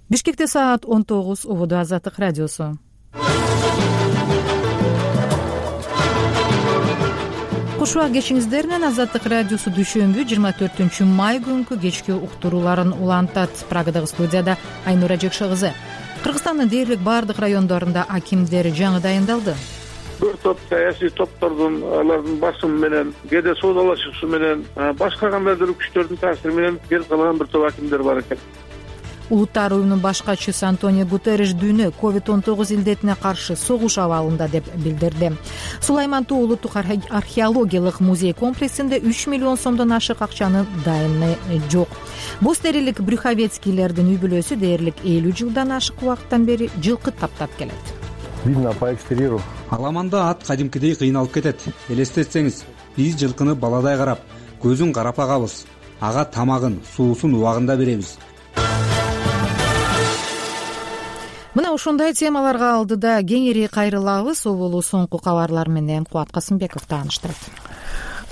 Бишкекте саат 19, убуду Азаттык радиосу. Кушуа кечиңиздер менен Азаттык радиосу дүйшөмбү 24-май күнкү кечки уктурууларын улантат. Прагадагы студияда Айнура Жекше кызы. Кыргызстандын дээрлик бардык райондорунда акимдер жаңы дайындалды. Бир топ саясий топтордун, алардын басымы менен, кээде соодалашуусу менен, башка кандайдыр күчтөрдүн таасири менен келип калган бир топ акимдер бар экен. Улуттар уюмунун баш катчысы Антонио Гутерриш дүйнө COVID-19 илдетине каршы согуш абалында деп билдирди. Сулайман Тоо улуттук археологиялык музей комплексинде 3 миллион сомдон ашык акчанын дайыны жок. Бостерилик Брюховецкийлердин үй бүлөсү дээрлик 50 жылдан ашык убакыттан бери жылкы таптап келет. Видно по экстерьеру. Аламанда ат кадимкидей кыйналып кетет. Элестетсеңиз, биз жылкыны баладай карап, көзүн карап агабыз. Ага тамагын, суусун убагында беребиз. Мына ушундай темаларга алдыда кеңири кайрылабыз. Ол болуу соңку кабарлар менен Кубат Касымбеков тааныштырат.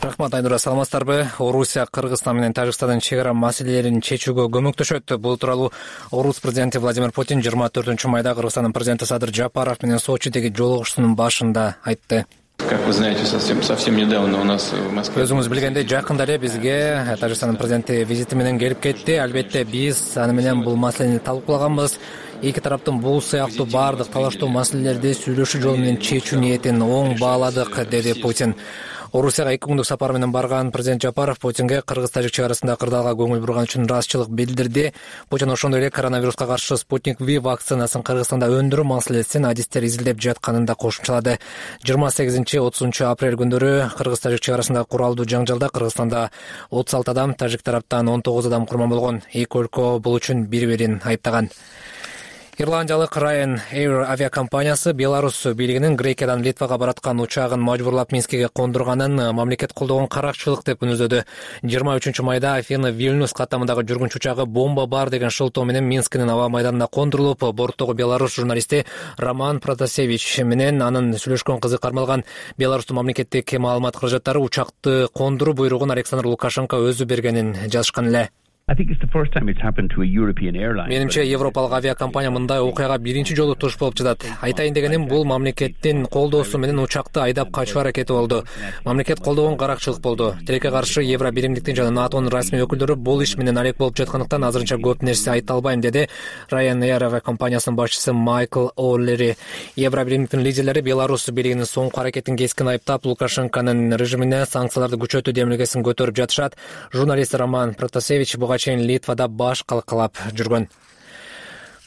Рахмат, Айнура, саламатсыздарбы? Орусия Кыргызстан менен Тажикстандын чек ара маселелерин чечүүгө көмөктөшөт. Бул тууралуу Орус президенти Владимир Путин 24-майда Кыргызстандын президенти Садыр Жапаров менен Сочидеги жолугушуусунун башында айтты. Как вы знаете, совсем недавно у нас в Москве. Өзүңүз билгендей, жакында эле бизге Тажикстандын президенти визити менен келип кетти. Албетте биз аны менен бул маселени талкуулаганбыз. Эки тараптын бул сыяктуу бардык талаштуу маселелерди сүйлөшүү жолу менен чечүү ниетин оң бааладык, деди Путин. Орусияга 2 күндүк сапар менен барган президент Жапаров Путинге кыргыз-тажик чек арасында кырдаалга көңүл бурган үчүн ыраазычылык билдирди. Путин ошондой эле коронавируска каршы Спутник V вакцинасын Кыргызстанда өндүрүү маселесин адистер изилдеп жатканын да кошумчалады. 28-30 апрель күндөрү кыргыз-тажик чек арасында куралдуу жаңжалда Кыргызстанда 36 адам, тажик тараптан 19 адам курман болгон. Эки өлкө бул үчүн бири-бирин айыптаган. Ирландиялык Ryanair авиакомпаниясы Беларусь бийлигинин Грекиядан Литвага бараткан учагын мажбурлап Минскиге кондурганын мамлекет колдогон каракчылык деп күнөздөдү. 23-майда Афина-Вильнюс каттамындагы жүргүнчү учагы бомба бар деген шылтоо менен Минскинин аба майданына кондурулуп, борттогу Беларусь журналисти Роман Протасевич менен анын сүйлөшкөн кызы кармалган. Беларустун мамлекеттик маалымат каражаттары учакты кондуруу буйругун Александр Лукашенко өзү бергенин жазышкан эле. Менимче, европалык авиакомпания мындай окуяга биринчи жолу туш болуп жатат. Айтайын дегеним, бул мамлекеттин колдоосу менен учакты айдап качуу аракети болду. Мамлекет колдогон каракчылык болду. Тилекке каршы Евро биримдиктин жана НАТОнун расмий өкүлдөрү бул иш менен алек болуп жаткандыктан азырынча көп нерсе айта албайм, деди Ryanair авиакомпаниясынын башчысы Майкл О'Лери. Евро биримдиктин лидерлери Беларусь бийлигинин соңку аракетин кескин айыптап, Лукашенконун режимине санкцияларды күчөтүү демилгесин көтөрүп жатышат. Журналист Роман Протасевич буга чейин Литвада баш калкалап жүргөн.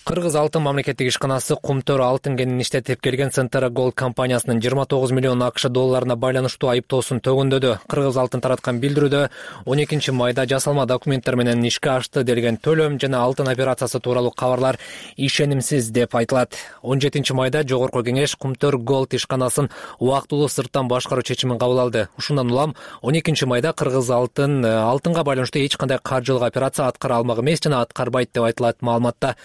Кыргыз алтын мамлекеттик ишканасы Кумтөр алтын кенин иштетип келген Centera Gold компаниясынын 29 миллион акш долларына байланыштуу айыптоосун төгүндөдү. Кыргыз алтын тараткан билдирүүдө 12-майда жасалма документтер менен ишке ашты делген төлөм жана алтын операциясы тууралуу кабарлар ишенимсиз деп айтылат. 17-майда Жогорку кеңеш Кумтөр Gold ишканасын убактылуу сырттан башкаруу чечимин кабыл алды. Ушундан улам 12-майда Кыргыз алтынга байланыштуу эч кандай каржылык операция аткара алмак эмес жана аткарбайт деп айтылат маалыматта.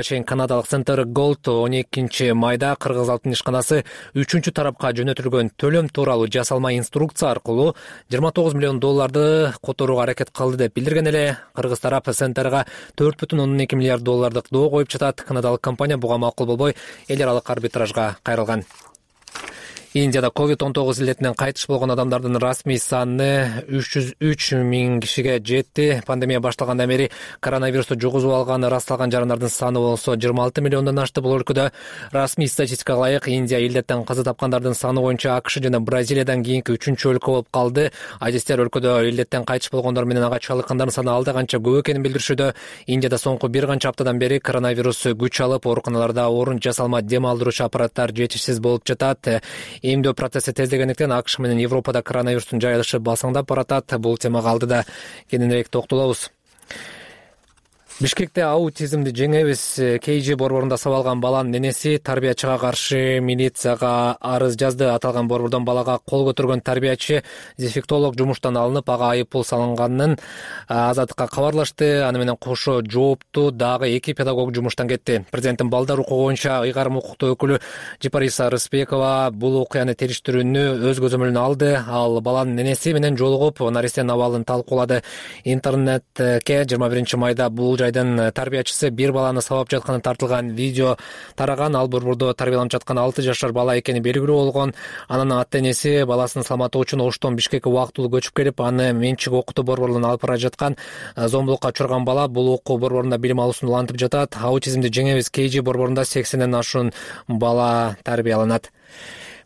Канадалык Centera Gold 12-майда Кыргыз алтын ишканасы 3-чү тарапка жөнөтүлгөн төлөм тууралуу жасалма инструкция аркылуу 29 миллион долларды которууга аракет кылды деп билдирген эле. Кыргыз тарап Centera'га 4,2 миллиард доллардык доо коюп жатат. Канадалык компания буга макул болбой эл аралык арбитражга кайрылган. Индияда COVID-19 илдетинен кайтыш болгон адамдардын расмий саны 303 миң кишиге жетти. Пандемия башталгандан бери коронавирусту жугузуп алганы ырасталган жарандардын саны болсо 26 миллиондон ашты. Бул өлкөдө расмий статистикага ылайык Индия илдеттен каза тапкандардын саны боюнча АКШ жана Бразилиядан кийинки 3-чү өлкө болуп калды. Адистер өлкөдө илдеттен кайтыш болгондор менен ага чалдыккандардын саны алда канча көп экенин билдиришүүдө. Индияда соңку бир канча аптадан бери коронавирус күч алып, ооруканаларда орун жасалма дем алдыруучу аппараттар жетишсиз болуп жатат. Эмдөө процесси тездегендиктен АКШ менен Европада коронавирустун жайылышы басаңдап баратат. Бул темага алдыда кененирээк токтолобуз. Бишкекте аутизмди жеңебиз KG борборунда сабалган баланын ненеси тарбиячыга каршы милицияга арыз жазды. Аталган борбордон балага кол көтөргөн тарбиячы дефектолог жумуштан алынып, ага айыппул салынганын Азаттыкка кабарлашты. Аны менен кошо жоопту дагы 2 педагог жумуштан кетти. Президенттин балдар укугу боюнча ыйгарым укуктуу өкүлү Жипариса Рыспекова бул окуяны териштирүүнү өз көзөмөлүнө алды. Ал баланын ненеси менен жолугуп, наристенин абалын талкуулады. Интернетке 21-майда бул жайдын тарбиячысы бир баланы сабап жатканы тартылган видео тараган. Ал борбордо тарбияланып жаткан 6 жашар бала экени белгилүү болгон. Анын ата-энеси баласынын саламаты үчүн Оштон Бишкекке убактылуу көчүп келип, аны менчик окутуу борборунан алып бара жаткан. Зомбулукка учурган бала бул окуу борборунда билим алуусун улантып жатат. Аутизмди жеңебиз KG борборунда 80ден ашуун бала тарбияланат.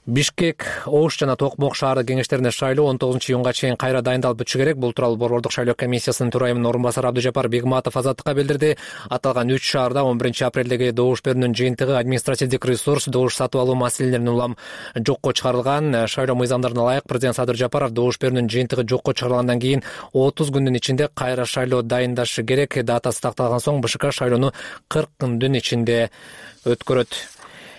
Бишкек, Ош жана Токмок шаардык кеңештерине шайлоо 19-июнга чейин кайра дайындалып бүтүшү керек. Бул тууралуу борбордук шайлоо комиссиясынын төрайымынын орун басары Абдыжапар Бегматов Азаттыкка билдирди. Аталган 3 шаарда 11-апрелдеги добуш берүүнүн жыйынтыгы административдик ресурс, добуш сатып алуу маселелерин улам жокко чыгарылган. Шайлоо мыйзамдарына ылайык президент Садыр Жапаров добуш берүүнүн жыйынтыгы жокко чыгарылгандан кийин 30 күндүн ичинде кайра шайлоо дайындашы керек. Датасы такталган соң БШК шайлоону 40 күндүн ичинде өткөрөт.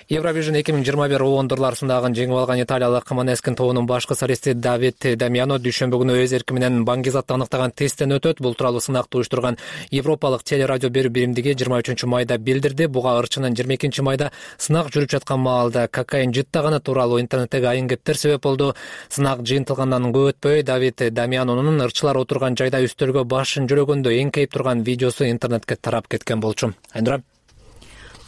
Евровижн 2021 оондурлар сындагын жеңип алган италиялык Манескин тобунун башкы солисти Давид Дамиано дүйшөмбү күнү өз эрки менен баңгизатты аныктаган тесттен өтөт. Бул тууралуу сынакты уюштурган Европалык телерадио берүү биримдиги 23-майда билдирди. Буга ырчынын 22-майда сынак жүрүп жаткан маалда кокаин жыттаганы тууралуу интернеттеги айын кептер себеп болду. Сынак жыйынтылгандан көп өтпөй Давид Дамианонун ырчылар отурган жайда үстөлгө башын жөрөгөндө эңкейип турган видеосу интернетке тарап кеткен болчу. Айнура.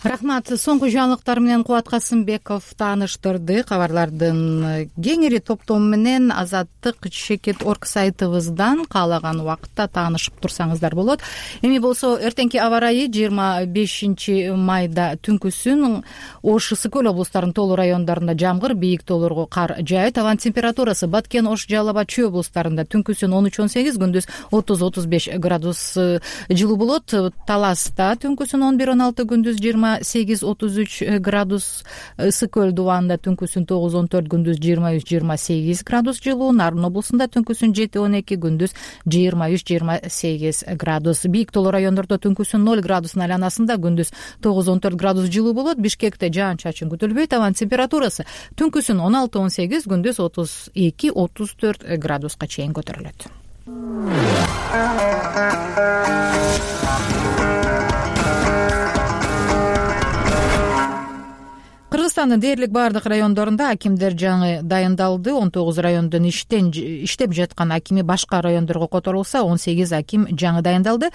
Рахмат. Соңку жаңылыктар менен Кубат Касымбеков тааныштырды. Кабарлардын кеңири топтому менен Азаттык Чекит.org сайтыбыздан каалаган убакытта таанышып турсаңыздар болот. Эми болсо эртеңки аба ырайы 25-майда түнкүсүн Ош, Ысык Көл облустарынын тоолуу райондорунда жамгыр, бийик тоолорго кар жаайт. Абанын температурасы Баткен, Ош, Жалал Абад, Чүй облустарында түнкүсүн 13-18, күндүз 30-35 градус жылуу болот. Таласта түнкүсүн 11-16, күндүз 28-33 градус, Ысык Көл дубанында түнкүсүн 9-14, күндүз 23-28 градус жылуу, Нарын облусунда түнкүсүн 7-12, күндүз 23-28 градус. Бийик тоолуу райондордо түнкүсүн 0 градустун айланасында, күндүз 9-14 градус жылуу болот. Бишкекте жаан-чачын күтүлбөйт. Абанын температурасы түнкүсүн 16-18, күндүз 32-34 градуска чейин көтөрүлөт. Кыргызстандын дээрлик баардык райондорунда акимдер жаңы дайындалды. 19 райондон иштеп жаткан акими башка райондорго которулса, 18 аким жаңы дайындалды.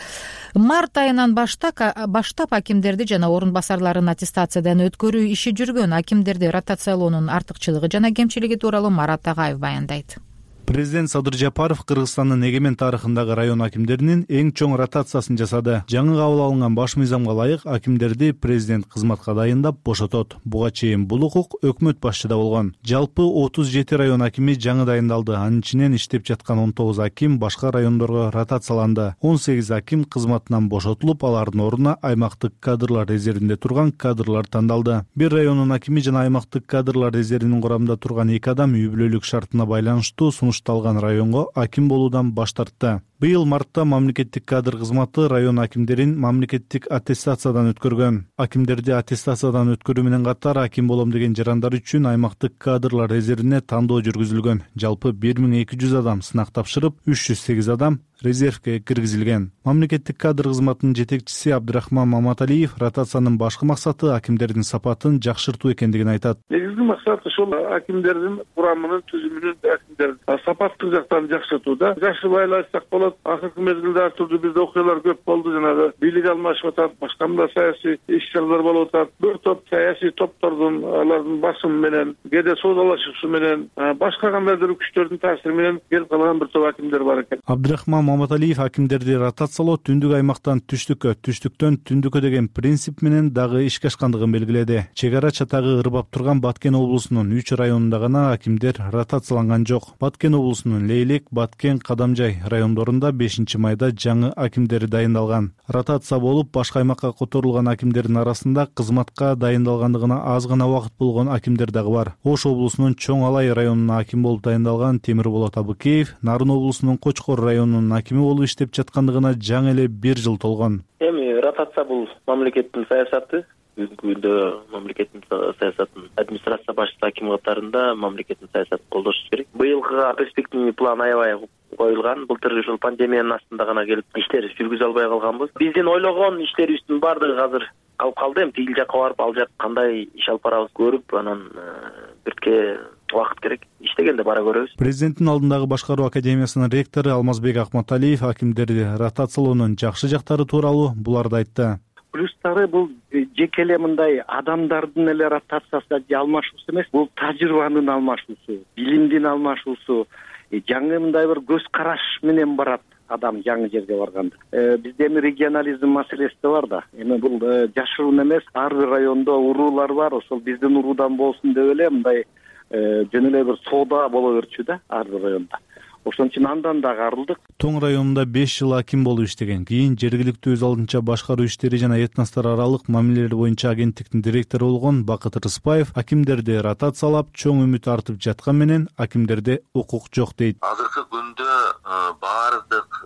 Март айынан баштап акимдерди жана орун басарларын аттестациядан өткөрүү иши жүргөн. Акимдерди ротациялоонун артыкчылыгы жана кемчилиги тууралуу Марат Агаев баяндайт. Президент Садыр Жапаров Кыргызстандын эгемен тарыхындагы район акимдеринин эң чоң ротациясын жасады. Жаңы кабыл алынган баш мыйзамга ылайык акимдерди президент кызматка дайындап бошотот. Буга чейин бул укук өкмөт башчыда болгон. Жалпы 37 район акими жаңы дайындалды. Анын ичинен иштеп жаткан 19 аким башка райондорго ротацияланды. 18 аким кызматынан бошотулуп, алардын ордуна аймактык кадрлар резервинде турган кадрлар тандалды. Бир райондун акими жана аймактык кадрлар резервинин курамында турган 2 адам үй бүлөлүк шартына байланыштуу сунушталган районго аким болуудан баш тартты. Быйыл мартта мамлекеттик кадр кызматы район акимдерин мамлекеттик аттестациядан өткөргөн. Акимдерди аттестациядан өткөрүү менен катар аким болом деген жарандар үчүн аймактык кадрлар резервине тандоо жүргүзүлгөн. Жалпы 1200 адам сынак тапшырып, 308 адам резервге киргизилген. Мамлекеттик кадр кызматынын жетекчиси Абдырахман Маматалиев ротациянын башкы максаты акимдердин сапатын жакшыртуу экендигин айтат. Негизги максаты ошол акимдердин курамынын түзүмүнүн акимдердин сапаттык жактарын жакшыртууда. Жакшы байланышсак болот. Акыркы мезгилде ар түрдүү бизде окуялар көп болду. Жанагы бийлик алмашып атат, башка мындай саясий иш-чаралар болуп атат. Бир топ саясий топтордун алардын басымы менен, кээде соодалашуусу менен, башка кандайдыр күчтөрдүн таасири менен келип калган бир топ акимдер бар экен. Абдырахман Маматалиев акимдерди ротациялоо түндүк аймактан түштүккө, түштүктөн түндүккө деген принцип менен дагы ишке ашкандыгын белгиледи. Чек ара чатагы ырбап турган Баткен облусунун 3 районунда гана акимдер ротацияланган жок. Баткен облусунун Лейлек, Баткен, Кадамжай райондорунда 5-майда жаңы акимдери дайындалган. Ротация болуп, башка аймакка которулган акимдердин арасында кызматка дайындалгандыгына аз гана убакыт болгон акимдер дагы бар. Ош облусунун Чоң Алай районуна аким болуп дайындалган Темирболот Абыкеев, Нарын облусунун Кочкор районунун акими болуп иштеп жаткандыгына жаңы эле 1 жыл толгон. Эми ротация бул мамлекеттин саясаты. Бүгүнкү күндө мамлекеттин саясатын администрация башчысы аким катарында мамлекеттин саясатын колдошубуз керек. Быйылкыга перспективный план аябай коюлган. Былтыр ушул пандемиянын астында гана келип иштер жүргүзө албай калганбыз. Биздин ойлогон иштерибиздин баардыгы азыр калып калды. Эми тигил жакка барып, ал жак кандай иш алып барабыз көрүп, анан бирке убакыт керек. Иштегенде бара көрөбүз. Президенттин алдындагы башкаруу академиясынын ректору Алмазбек Акматалиев акимдерди ротациялоонун жакшы жактары тууралуу буларды айтты. Плюстары бул жеке эле мындай адамдардын эле ротациясы же алмашуусу эмес, бул тажрыйбанын алмашуусу, билимдин алмашуусу, жаңы мындай бир көз караш менен барат адам жаңы жерге барганда. Бизде эми регионализм маселеси да бар да. Эми бул жашыруун эмес, ар бир райондо уруулар бар, ошол биздин уруудан болсун деп эле мындай жөн эле бир соода боло берчү да ар бир районда. Ошон үчүн андан дагы арылдык. Тоң районунда 5 жыл аким болуп иштеген, кийин жергиликтүү өз алдынча башкаруу иштери жана этностор аралык мамилелер боюнча агенттиктин директору болгон Бакыт Рыспаев акимдерди ротациялап чоң үмүт артып жаткан менен акимдерде укук жок дейт. Азыркы күндө баардык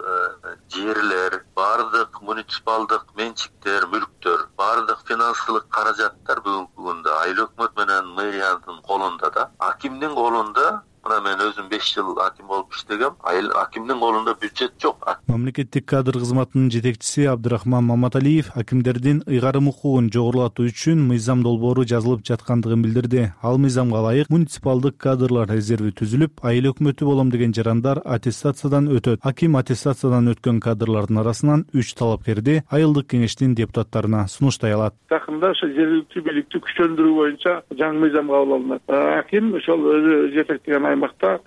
жерлер, баардык муниципалдык менчиктер, мүлктөр, баардык финансылык каражаттар бүгүнкү күндө айыл өкмөт менен мэриянын колунда да. Акимдин колунда мына мен өзүм 5 жыл аким болуп иштегем. Акимдин колунда бюджет жок. Мамлекеттик кадр кызматынын жетекчиси Абдырахман Маматалиев акимдердин ыйгарым укугун жогорулатуу үчүн мыйзам долбоору жазылып жаткандыгын билдирди. Ал мыйзамга ылайык муниципалдык кадрлар резерви түзүлүп, айыл өкмөтү болом деген жарандар аттестациядан өтөт. Аким аттестациядан өткөн кадрлардын арасынан 3 талапкерди айылдык кеңештин депутаттарына сунуштай алат. Жакында ошо жергиликтүү бийликти күчтөндүрүү боюнча жаңы мыйзам кабыл алынат. Аким ошол өзү жетектеген аймакта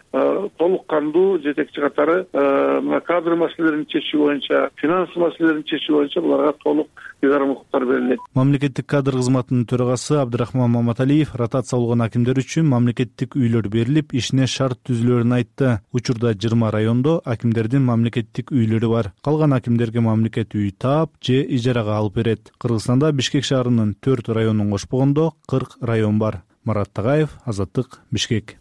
толук кандуу жетекчи катары кадр маселелерин чечүү боюнча, финанс маселелерин чечүү боюнча буларга толук ыйгарым укуктар берилет. Мамлекеттик кадр кызматынын төрагасы Абдырахман Маматалиев ротация алган акимдер үчүн мамлекеттик үйлөр берилип, ишине шарт түзүлөрүн айтты. Учурда 20 райондо акимдердин мамлекеттик үйлөрү бар. Калган акимдерге мамлекет үй таап же ижарага алып берет. Кыргызстанда Бишкек шаарынын 4 районун кошпогондо 40 район бар. Марат Тагаев, Азаттык, Бишкек.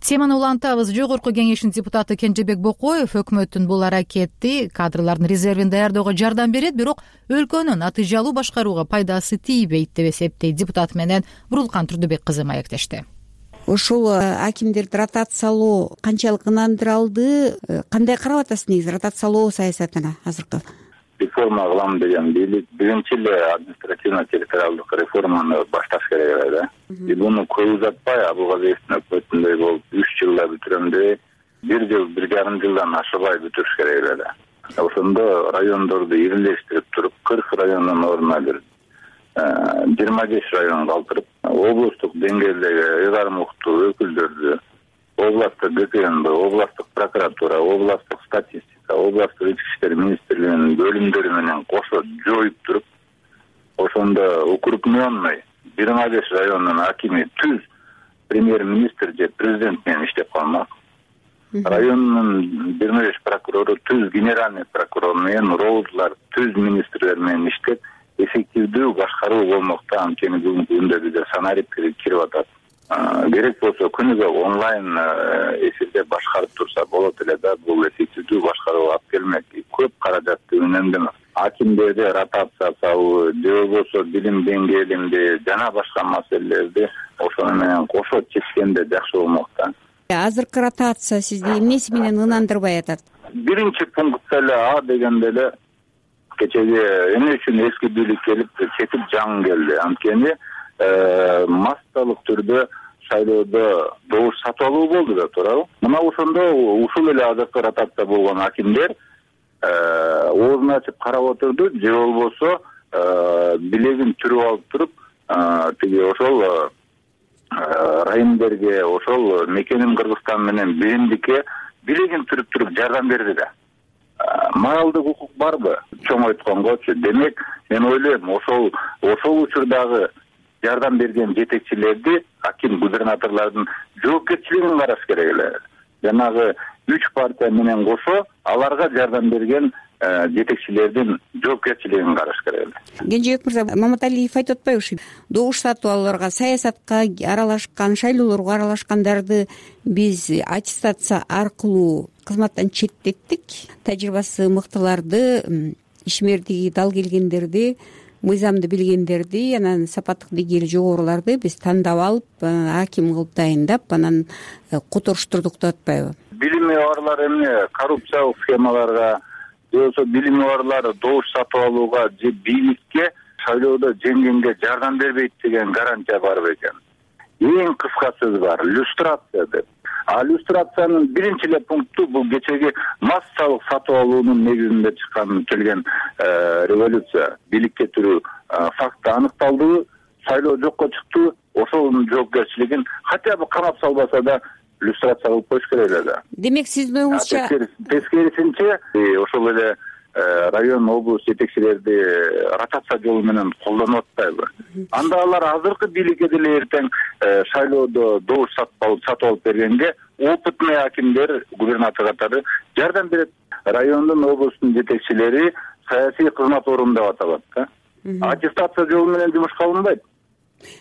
Теманы улантабыз. Жогорку кеңештин депутаты Кенжебек Бокоев өкмөттүн бул аракети кадрлардын резервин даярдоого жардам берет, бирок өлкөнүн натыйжалуу башкарууга пайдасы тийбейт деп эсептейт депутат менен Бурулкан Турдубек кызы маектешти. Ушул акимдерди ротациялоо канчалык ынандыралды, кандай карап атасыз негизи ротациялоо саясатына азыркы? Реформа кылам деген бийлик биринчи эле административно-территориалдык реформаны башташ керек да. Буну көп узатпай Абылгазиевдин өкмөтүндөй болуп 3 жылда бүтүрөм деп 1 жыл 1,5 жылдан ашыбай бүтүрүш керек да. Ошондо райондорду ирилештирип туруп 40 райондун ордуна бир 25 район калтырып, облустук деңгээлдеги ыйгарым укуктуу өкүлдөрдү, областтык ГКМБ, областтык прокуратура, областтык статистика, областтык ички иштер министрлигинин бөлүмдөрү менен кошо жоюп туруп, ошондо укрупненный 25 райондун акими түз премьер-министр же президент менен иштеп калмак. Райондун 25 прокурору түз генеральный прокурор менен, роузлар түз министрлер менен иштеп, эффективдүү башкаруу болмокто. Анткени бүгүнкү күндө бизде санарип кирип атат. Керек болсо күнүгө онлайн эфирде башкарып турса болот эле да, бул эффективдүү башкарууга алып келмек. Көп каражатты үнөмдөмөк. Акимдерди ротация салуу, же болбосо билим деңгээлинде жана башка маселелерди ошону менен кошо чечкенде жакшы болмок да. Азыркы ротация сизди эмнеси менен ынандырбай атат? Биринчи пунктта эле А дегенде эле кечеги эмне үчүн эски бийлик келип кетип жаңы келди. Анткени массалык түрдө шайлоодо добуш сатып алуу болду да, туурабы? Мына ошондо ушул эле азыркы ротация болгон акимдер оозун ачып карап отурду, же болбосо билегин түрүп алып туруп, тиги ошол райондерге, ошол мекеним Кыргызстан менен биримдикке билегин түрүп туруп жардам берди да. Моралдык укук барбы? Чоң айтконгочу, демек мен ойлойм, ошол учурдагы жардам берген жетекчилерди, аким губернаторлордун жоопкерчилигин караш керек эле. Жанагы 3 партия менен кошо аларга жардам берген жетекчилердин жоопкерчилигин караш керек эле. Кенжебек мырза, Маматалиев айтып атпайбы ушу добуш сатып алууларга, саясатка аралашкан, шайлоолорго аралашкандарды биз аттестация аркылуу кызматтан четтеттик, тажрыйбасы мыктыларды, ишмердиги дал келгендерди, мыйзамды билгендерди, анан сапаттык деңгээли жогоруларды биз тандап алып, аким кылып дайындап, анан которуштурдук деп атпайбы? Билими барлар эмне коррупциялык схемаларга, же болбосо билими барлар добуш сатып алууга же бийликке шайлоодо жеңгенге жардам бербейт деген гарантия бар бекен. эң кыска сөз бар, люстрация деп. Люстрациянын биринчи эле пункту бул кечеги массалык сатып алуунун негизинде чыккан келген революция. Бийликке туруу факты аныкталды, шайлоо жокко чыкты, ошонун жоопкерчилигин хотя бы камап салбаса да люстрация кылып коюш керек эле. Демек сиздин оюңузча тескерисинче ошол эле район, облус жетекчилерди ротация жолу менен колдонуп атпайбы? Анда алар азыркы бийликке деле эртең шайлоодо добуш сатып алып бергенге опытный акимдер, губернатор катары жардам берет. Райондун, облустун жетекчилери саясий кызмат орунда аталат да. Аттестация жолу менен жумушка алынбайт.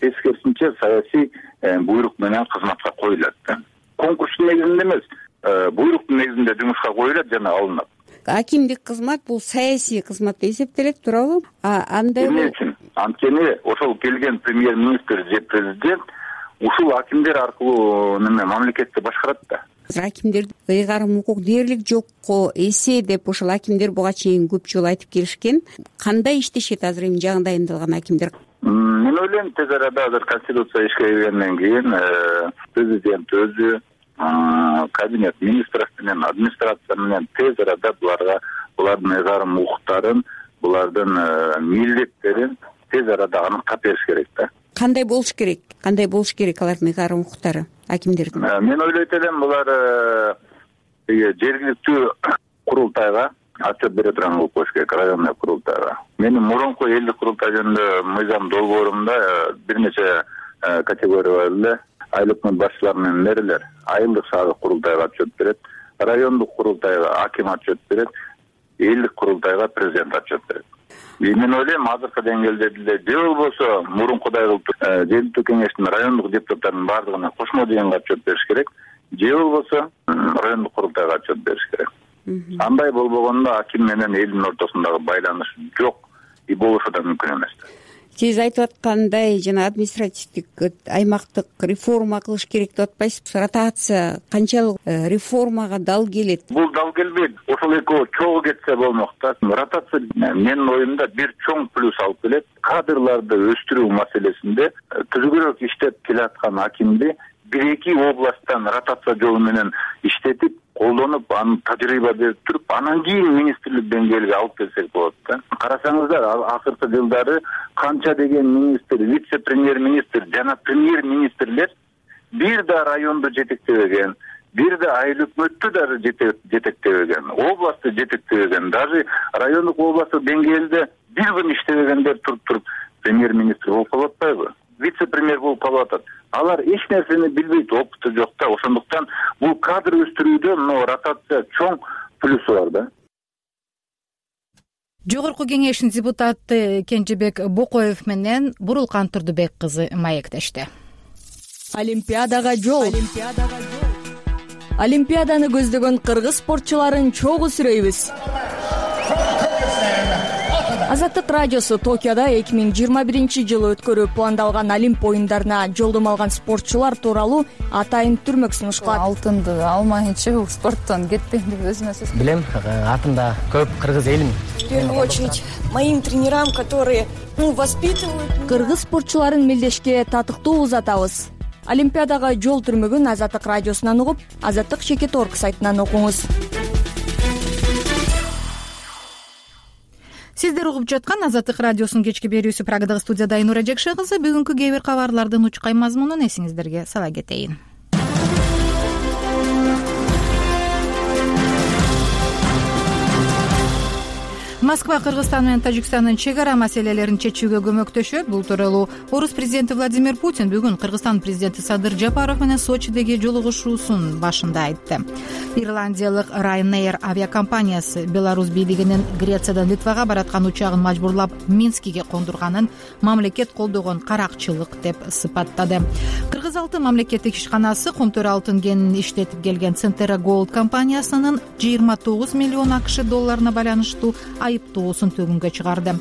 Тескерисинче саясий буйрук менен кызматка коюлат да. Конкурстун негизинде эмес, буйруктун негизинде жумушка коюлат жана алынат. Акимдик кызмат бул саясий кызмат деп эсептелет, туурабы? Андай эмне үчүн? Анткени ошол келген премьер-министр же президент ушул акимдер аркылуу мамлекетти башкарат да. Акимдердин ыйгарым укук дээрлик жокко эсе деп ошол акимдер буга чейин көп жолу айтып келишкен. Кандай иштешет азыр эми жаңы дайындалган акимдер? Мен ойлойм, тез арада азыр конституция ишке киргенден кийин президент өзү, кабинет министров менен, администрация менен тез арада булардын ыйгарым укуктарын, булардын милдеттерин тез арада аныктап бериш керек да. Кандай болуш керек? Кандай болуш керек алардын ыйгарым укуктары акимдердин? Мен ойлойт элем, булар жергиликтүү курултайга отчет бере турган кылып коюш керек, районный курултайга. Менин мурунку элдик курултай жөнүндө мыйзам долбоорумда бир нече категория бар эле. Айлык өкмөт башчылары менен мэрилер айылдык шаардык курултайга отчет берет, райондук курултайга аким отчет берет, элдик курултайга президент отчет берет. Мен ойлойм, азыркы деңгээлде деле же болбосо мурункудай кылып жергиликтүү кеңештин райондук депутаттарынын баардыгына кошмо жыйынга отчет бериш керек, же болбосо райондук курултайга отчет бериш керек. Андай болбогондо аким менен элдин ортосундагы байланыш жок и болушу да мүмкүн эмес. Сиз айтып аткандай, жана административдик аймактык реформа кылыш керек деп атпайсызбы? Ротация канчалык реформага дал келет? Бул дал келбейт. Ошол экөө чогуу кетсе болмок да. Ротация менин оюмда бир чоң плюс алып келет. Кадрларды өстүрүү маселесинде түзүгүрөөк иштеп келаткан акимди бир-эки областтан ротация жолу менен иштетип, колдонуп, аны тажрыйба берип туруп, анан кийин министрлик деңгээлге алып келсек болот да. Карасаңыздар, акыркы жылдары канча деген министр, вице-премьер-министр жана премьер-министрлер бир да районду жетектебеген, бир да айыл өкмөттү да жетектебеген, областты жетектебеген, даже райондук областтык деңгээлде бир күн иштебегендер туруп премьер-министр болуп калып атпайбы? Вице-премьер болуп калып атат. Алар эч нерсени билбейт, опыту жок да. Ошондуктан бул кадр өстүрүүдө ротация чоң плюсу бар да. Жогорку кеңештин депутаты Кенжебек Бокоев менен Бурулкан Турдубек кызы маектешти. Олимпиадага жол. Олимпиаданы көздөгөн кыргыз спортчуларын чогуу сүрөйбүз. Азаттык радиосу Токиодо 2021-жылы өткөрүү пландалган Олимп оюндарына жолдомо алган спортчулар тууралуу атайын түрмөк сунушталат. Алтынды алмайынча бул спорттон кетпейм деп өзүмө сөз. Билем, артымда көп кыргыз элим. В первую очередь моим тренерам, которые воспитывают. Кыргыз спортчуларын мелдешке татыктуу узатабыз. Олимпиадага жол түрмөгүн Азаттык радиосунан угуп, azattik.org сайтынан окуңуз. Сиздер угуп жаткан Азаттык радиосунун кечки берүүсү Прагадагы студияда Айнура Жекше кызы. Бүгүнкү кээ бир кабарлардын учкай мазмунун эсиңиздерге сала кетейин. Москва Кыргызстан менен Тажикстандын чек ара маселелерин чечүүгө көмөктөшөт. Бул тууралуу Орус президенти Владимир Путин бүгүн Кыргызстан президенти Садыр Жапаров менен Сочидеги жолугушуусунун башында айтты. Ирландиялык Ryanair авиакомпаниясы Беларусь бийлигинин Грециядан Литвага бараткан учагын мажбурлап Минскиге кондурганын мамлекет колдогон каракчылык деп сыпаттады. Кыргыз алтын мамлекеттик ишканасы Комтөр алтын кенин иштетип келген Centera Gold компаниясынын 29 миллион АКШ долларына байланыштуу айыптоосун төгүнгө чыгарды.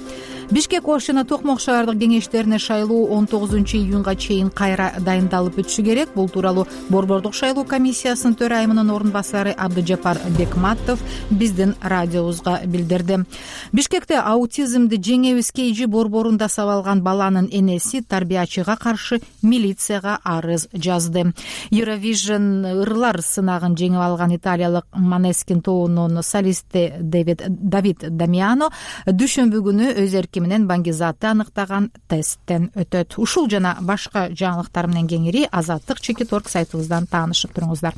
Бишкек Ош жана Токмок шаардык кеңештерине шайлоо 19-июнга чейин кайра дайындалып өтүшү керек. Бул тууралуу Борбордук шайлоо комиссиясынын төрайымынын орун басары Абдыжапар Бекматов биздин радиобузга билдирди. Бишкекте аутизмди жеңебиз KG борборунда сабалган баланын энеси тарбиячыга каршы милицияга арыз жазды. Eurovision ырлар сынагын жеңип алган италиялык Måneskin тобунун солисти Давид Дамиано дүйшөмбү күнү өз эрки менен баңгизатты аныктаган тесттен өтөт. Ушул жана башка жаңылыктар менен кеңири Азаттык Чекиторг сайтыбыздан таанышып туруңуздар.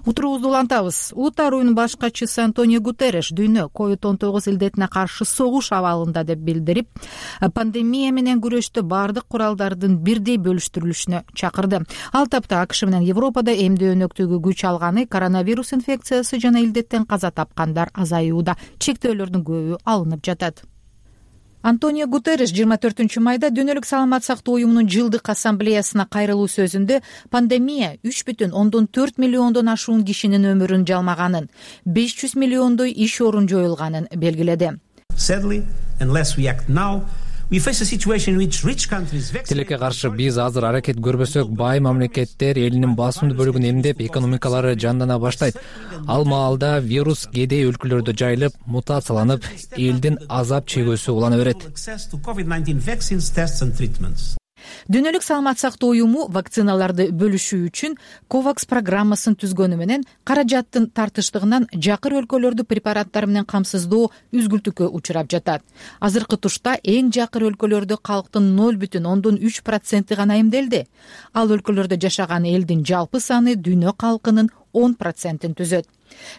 Утурубузду улантабыз. Улуттар уюмунун башкачысы Антонио Гутерриш дүйнө COVID-19 илдетине каршы согуш абалында деп билдирип, пандемия менен күрөштө бардык куралдардын бирдей бөлүштүрүлүшүнө чакырды. Ал тапта АКШ менен Европада эмдөө өнөктүгү күч алганы, коронавирус инфекциясы жана илдеттен каза тапкандар азаюуда, чектөөлөрдүн көбү алынып жатат. Антонио Гутерриш 24 майда Дүйнөлүк саламат сактоо уюмунун жылдык ассамблеясына кайрылуу сөзүндө пандемия 3,4 миллиондон ашуун кишинин өмүрүн жалмаганын, 500 миллиондой иш орун жоюлганын белгиледи. Тилекке каршы биз азыр аракет көрбөсөк, бай мамлекеттер элинин басымдуу бөлүгүн эмдеп, экономикалары жандана баштайт. Ал маалда вирус кедей өлкөлөрдө жайылып, мутацияланып, элдин азап чегүүсү улана берет. Дүйнөлүк саламат сактоо уюму вакциналарды бөлүшүү үчүн COVAX программасын түзгөнү менен каражаттын тартыштыгынан жакыр өлкөлөрдү препараттар менен камсыздоо үзгүлтүккө учурап жатат. Азыркы тушта эң жакыр өлкөлөрдө калктын 0,3% гана эмделди. Ал өлкөлөрдө жашаган элдин жалпы саны дүйнө калкынын 10%-ин түзөт.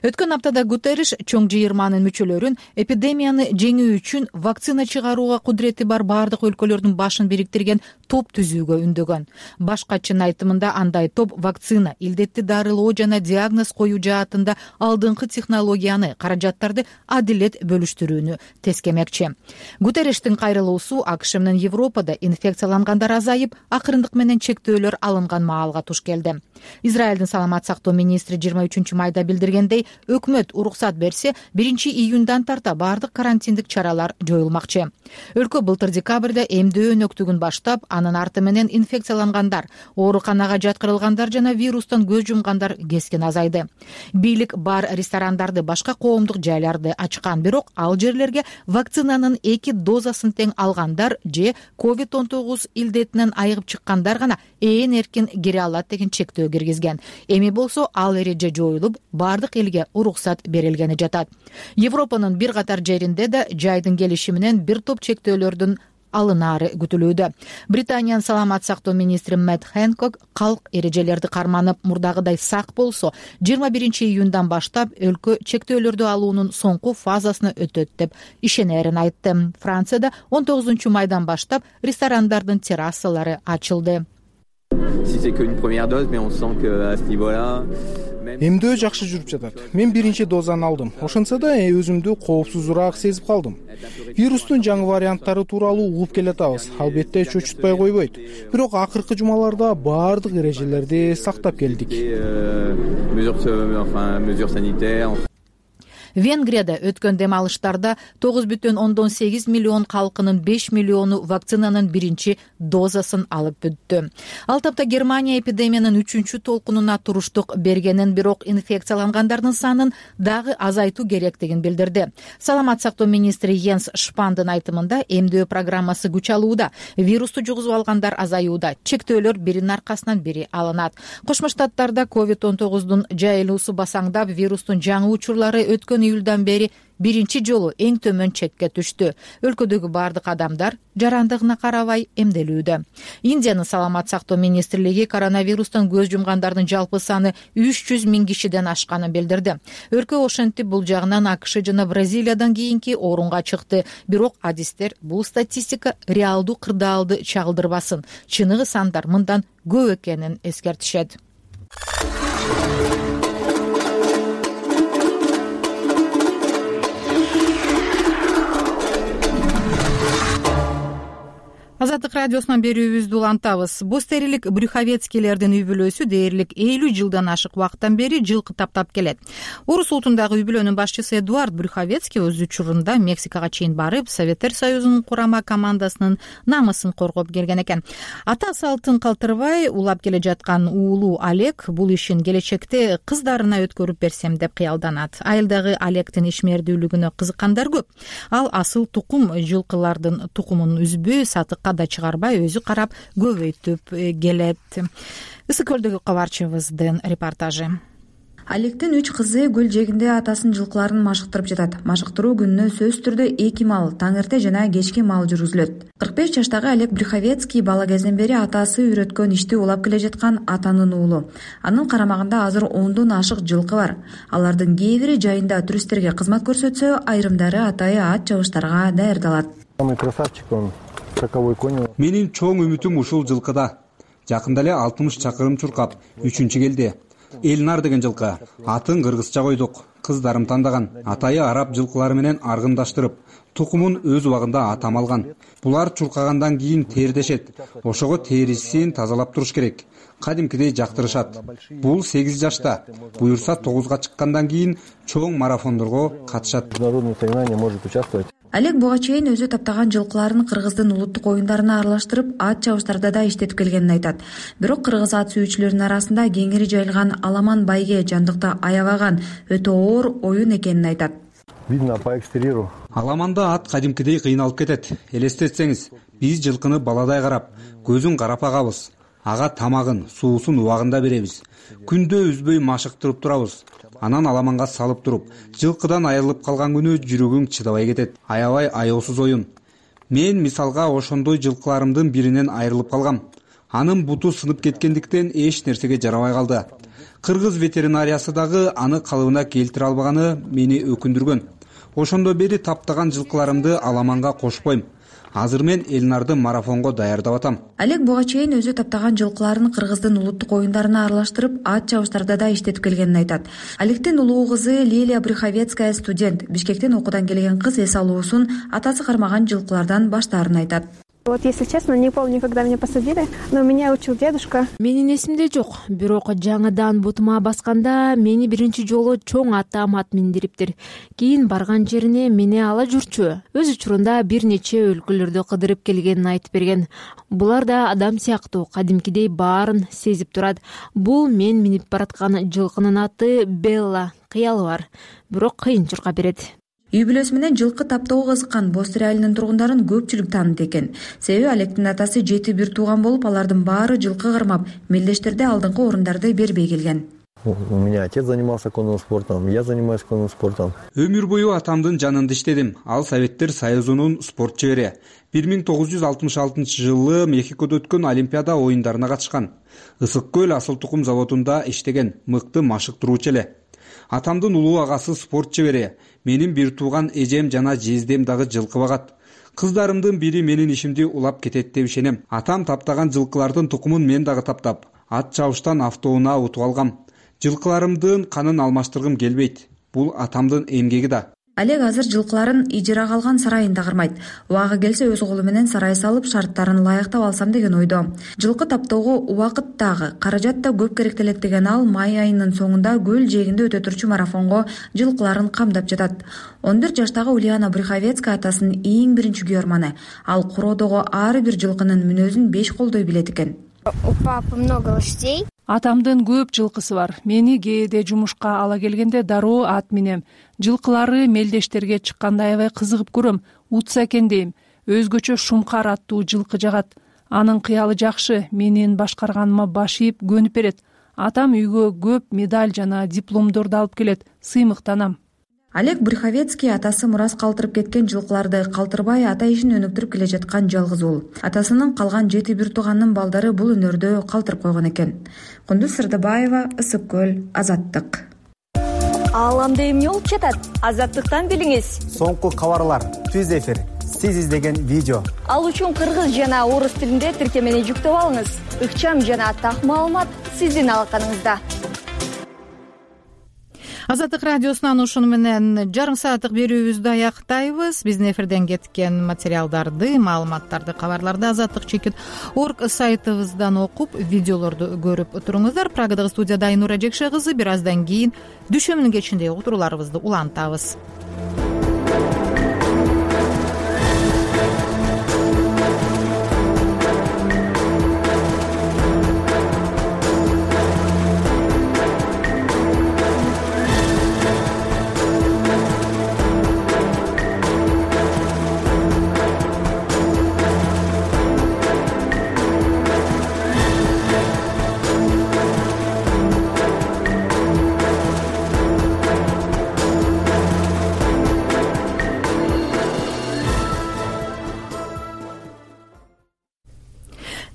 Өткөн аптада Гутерриш чоң жыйырманын мүчөлөрүн эпидемияны жеңүү үчүн вакцина чыгарууга кудурети бар бардык өлкөлөрдүн башын бириктирген топ түзүүгө үндөгөн. Башкачынын айтымында андай топ вакцина, илдетти дарылоо жана диагноз коюу жаатында алдыңкы технологияны, каражаттарды адилет бөлүштүрүүнү тескемекчи. Гутерриштин кайрылуусу АКШ менен Европада инфекциялангандар азайып, акырындык менен чектөөлөр алынган маалга туш келди. Израилдин саламат сактоо министри 23 майда билдирген өкмөт уруксат берсе, 1-июндан тарта бардык карантиндик чаралар жоюлмакчы. Өлкө былтыр декабрда эмдөө өнөктүгүн баштап, анын арты менен инфекциялангандар, ооруканага жаткырылгандар жана вирустан көз жумгандар кескен азайды. Бийлик бар ресторандарды, башка коомдук жайларды ачкан, бирок ал жерлерге вакцинанын 2 дозасын тең алгандар же COVID-19 илдетинен айыгып чыккандар гана ээн эркин кире алат деген чектөө киргизген. Эми болсо ал эреже жоюлуп, бардык элге уруксат берилгени жатат. Европанын бир катар жеринде да жайдын келиши менен бир топ чектөөлөрдүн алынаары күтүлүүдө. Британиянын саламат сактоо министри Мэтт Хэнкок калк эрежелерди карманып, мурдагыдай сак болсо, 21-июндан баштап өлкө чектөөлөрдү алуунун соңку фазасына өтөт деп ишенерин айтты. Францияда 19 майдан баштап ресторандардын террасалары ачылды. Эмдөө жакшы жүрүп жатат. Мен 1-чи дозаны алдым. Ошентсе да өзүмдү коопсузураак сезип калдым. Вирустун жаңы варианттары тууралуу угуп келатабыз. Албетте чөчүтпөй койбойт. Бирок акыркы жумаларда бардык эрежелерди сактап келдик. Венгрияда өткөн дем алыштарда 9,8 миллион калкынын 5 миллиону вакцинанын 1-чи дозасын алып бүттү. Ал тапта Германия эпидемиянын 3-чү толкунуна туруштук бергенин, бирок инфекциялангандардын санын дагы азайтуу керектигин билдирди. Саламат сактоо министри Йенс Шпандын айтымында эмдөө программасы күч алууда, вирусту жугузуп алгандар азаюуда, чектөөлөр биринин аркасынан бири алынат. Кошмо Штаттарда COVID-19 жайылуусу басаңдап, вирустун жаңы учурлары өткөн июлдан бери 1-чи жолу эң төмөн чекке түштү. Өлкөдөгү бардык адамдар жарандыгына карабай эмделүүдө. Индиянын саламат сактоо министрлиги коронавирустан көз жумгандардын жалпы саны 300 миң кишиден ашканын билдирди. Өлкө ошентип бул жагынан АКШ жана Бразилиядан кийинки орунга чыкты. Бирок адистер бул статистика реалдуу кырдаалды чагылдырбасын. Чыныгы сандар мындан көп экенин эскертишет. Азаттык радиосунан берүүбүздү улантабыз. Бостерилик брюховецкийлердин үй бүлөсү дээрлик 50 жылдан ашык убакыттан бери жылкы таптап келет. Орус улутундагы үй бүлөнүн башчысы Эдуард Брюховецкий өз учурунда Мексикага чейин барып, Советтер Союзунун курама командасынын намысын коргоп келген экен. Ата салтын калтырбай улап келе жаткан уулу Олег бул ишин келечекте кыздарына өткөрүп берсем деп кыялданат. Айылдагы Олегдин ишмердүүлүгүнө кызыккандар көп. Ал асыл тукум жылкылардын тукумун үзбөй, сатыкка да чыгарбай өзү карап көбөйтүп келет. Ысык көлдөгү кабарчыбыздын репортажы. Олегдин 3 кызы көл жээгинде атасынын жылкыларын машыктырып жатат. Машыктыруу күнүнө сөзсүз түрдө 2 мал, таңерте жана кечки мал жүргүзүлөт. 45 жаштагы Олег Брюховецкий бала кезинен бери атасы үйрөткөн ишти улап келе жаткан атанын уулу. Анын карамагында азыр 10дон ашык жылкы бар. Алардын кээ бири жайында туристтерге кызмат көрсөтсө, айрымдары атайы ат чабыштарга даярдалат. Самый красавчик он. Менин чоң үмүтүм ушул жылкыда. Жакында эле 60 чакырым чуркап 3-чү келди. Элнар деген жылкы. Атын кыргызча койдук. Кыздарым тандаган. Атайы араб жылкылары менен аргындаштырып, тукумун өз убагында атам алган. Булар чуркагандан кийин тердешет. Ошого терисин тазалап туруш керек. Кадимкидей жактырышат. Бул 8 жашта. Буюрса 9га чыккандан кийин чоң марафондорго катышат. Международное соревнование может участвовать. Олег буга чейин өзү таптаган жылкыларын кыргыздын улуттук оюндарына аралаштырып, ат чабыштарда да иштетип келгенин айтат. Бирок кыргыз ат сүйүүчүлөрүнүн арасында кеңири жайылган аламан байге жандыкты аябаган өтө оор оюн экенин айтат. Видно по экстерьеру. Аламанда ат кадимкидей кыйналып кетет. Элестетсеңиз, биз жылкыны баладай карап, көзүн карап агабыз. Ага тамагын, суусун убагында беребиз. Күндө үзбөй машыктырып турабыз. Анан аламанга салып туруп, жылкыдан айрылып калган күнү жүрөгүң чыдабай кетет. Аябай аяосуз оюн. Мен мисалга ошондой жылкыларымдын биринен айрылып калгам. Анын буту сынып кеткендиктен эч нерсеге жарабай калды. Кыргыз ветеринариясы дагы аны калыбына келтире албаганы мени өкүндүргөн. Ошондо бери таптаган жылкыларымды аламанга кошпойм. Азыр мен Элнарды марафонго даярдап атам. Олег буга чейин өзү таптаган жылкыларын кыргыздын улуттук оюндарына аралаштырып, ат чабыштарда да иштетип келгенин айтат. Олегдин улуу кызы Лилия Брюховецкая студент. Бишкектен окуудан келген кыз эс алуусун атасы кармаган жылкылардан баштаарын айтат. Вот, если честно, не помню, когда меня посадили, но меня учил дедушка. Менин эсимде жок. Бирок жаңыдан бутума басканда мени биринчи жолу чоң атам ат миндириптир. Кийин барган жерине мени ала жүрчү. Өз учурунда бир нече өлкөлөрдү кыдырып келгенин айтып берген. Булар да адам сыяктуу, кадимкидей баарын сезип турат. Бул мен минип бараткан жылкынын аты Белла. Кыялы бар, бирок кыйын чуркап берет. Үй бүлөсү менен жылкы таптоого кызыккан Бостер айылынын тургундарын көпчүлүк тааныт экен. Себеби Олегдин атасы 7 бир тууган болуп, алардын баары жылкы кармап, мелдештерде алдыңкы орундарды бербей келген. У меня отец занимался конным спортом, я занимаюсь конным спортом. Өмүр бою атамдын жанында иштедим. Ал Советтер Союзунун спорт чебери. 1966 жылы Мехикодо өткөн Олимпиада оюндарына катышкан. Ысык көл асыл тукум заводунда иштеген, мыкты машыктыруучу эле. Атамдын улуу агасы спорт чебери. Менин бир тууган эжем жана жездем дагы жылкы багат. Кыздарымдын бири менин ишимди улап кетет деп ишенем. Атам таптаган жылкылардын тукумун мен дагы таптап, ат чабыштан автоунаа утуп алгам. Жылкыларымдын канын алмаштыргым келбейт. Бул атамдын эмгеги да. Олег азыр жылкыларын ижарага алган сарайында кармайт. Убагы келсе өз колу менен сарай салып, шарттарын лайыктап алсам деген ойдо. Жылкы таптоого убакыт дагы, каражат да көп керектелет деген ал май айынын соңунда көл жээгинде өтө турчу марафонго жылкыларын камдап жатат. 14 жаштагы Ульяна Брюховецкая атасынын эң биринчи күйөрманы. Ал короодогу ар бир жылкынын мүнөзүн 5 колдой билет экен. У папы много лошадей. Атамдын көп жылкысы бар. Мени кээде жумушка ала келгенде дароо ат минем. Жылкылары мелдештерге чыкканда аябай кызыгып көрөм. Утса экен дейм. Өзгөчө шумкар аттуу жылкы жагат. Анын кыялы жакшы, менин башкарганыма баш ийип көнүп берет. Атам үйгө көп медаль жана дипломдорду алып келет. Сыймыктанам. Олег Брюховецкий атасы мурас калтырып кеткен жылкыларды калтырбай ата ишин өнүктүрүп келе жаткан жалгыз уул. Атасынын калган 7 бир тууганынын балдары бул өнөрдө калтырып койгон экен. Кундуз Сырдыбаева, Ысык көл, Азаттык. Ааламда эмне болуп жатат? Азаттыктан билиңиз. Соңку кабарлар, түз эфир, сиз издеген видео. Ал үчүн кыргыз жана орус тилинде тиркемени жүктөп алыңыз. Ыкчам жана так маалымат сиздин алаканыңызда. Азаттык радиосунан ушуну менен жарым сааттык берүүбүздү аяктайбыз. Биздин эфирден кеткен материалдарды, маалыматтарды, кабарларды azattik.org сайтыбыздан окуп, видеолорду көрүп туруңуздар. Прагадагы студияда Айнура Жекше кызы. Бир аздан кийин дүшөмүнүн кечиндеги уктурууларыбызды улантабыз.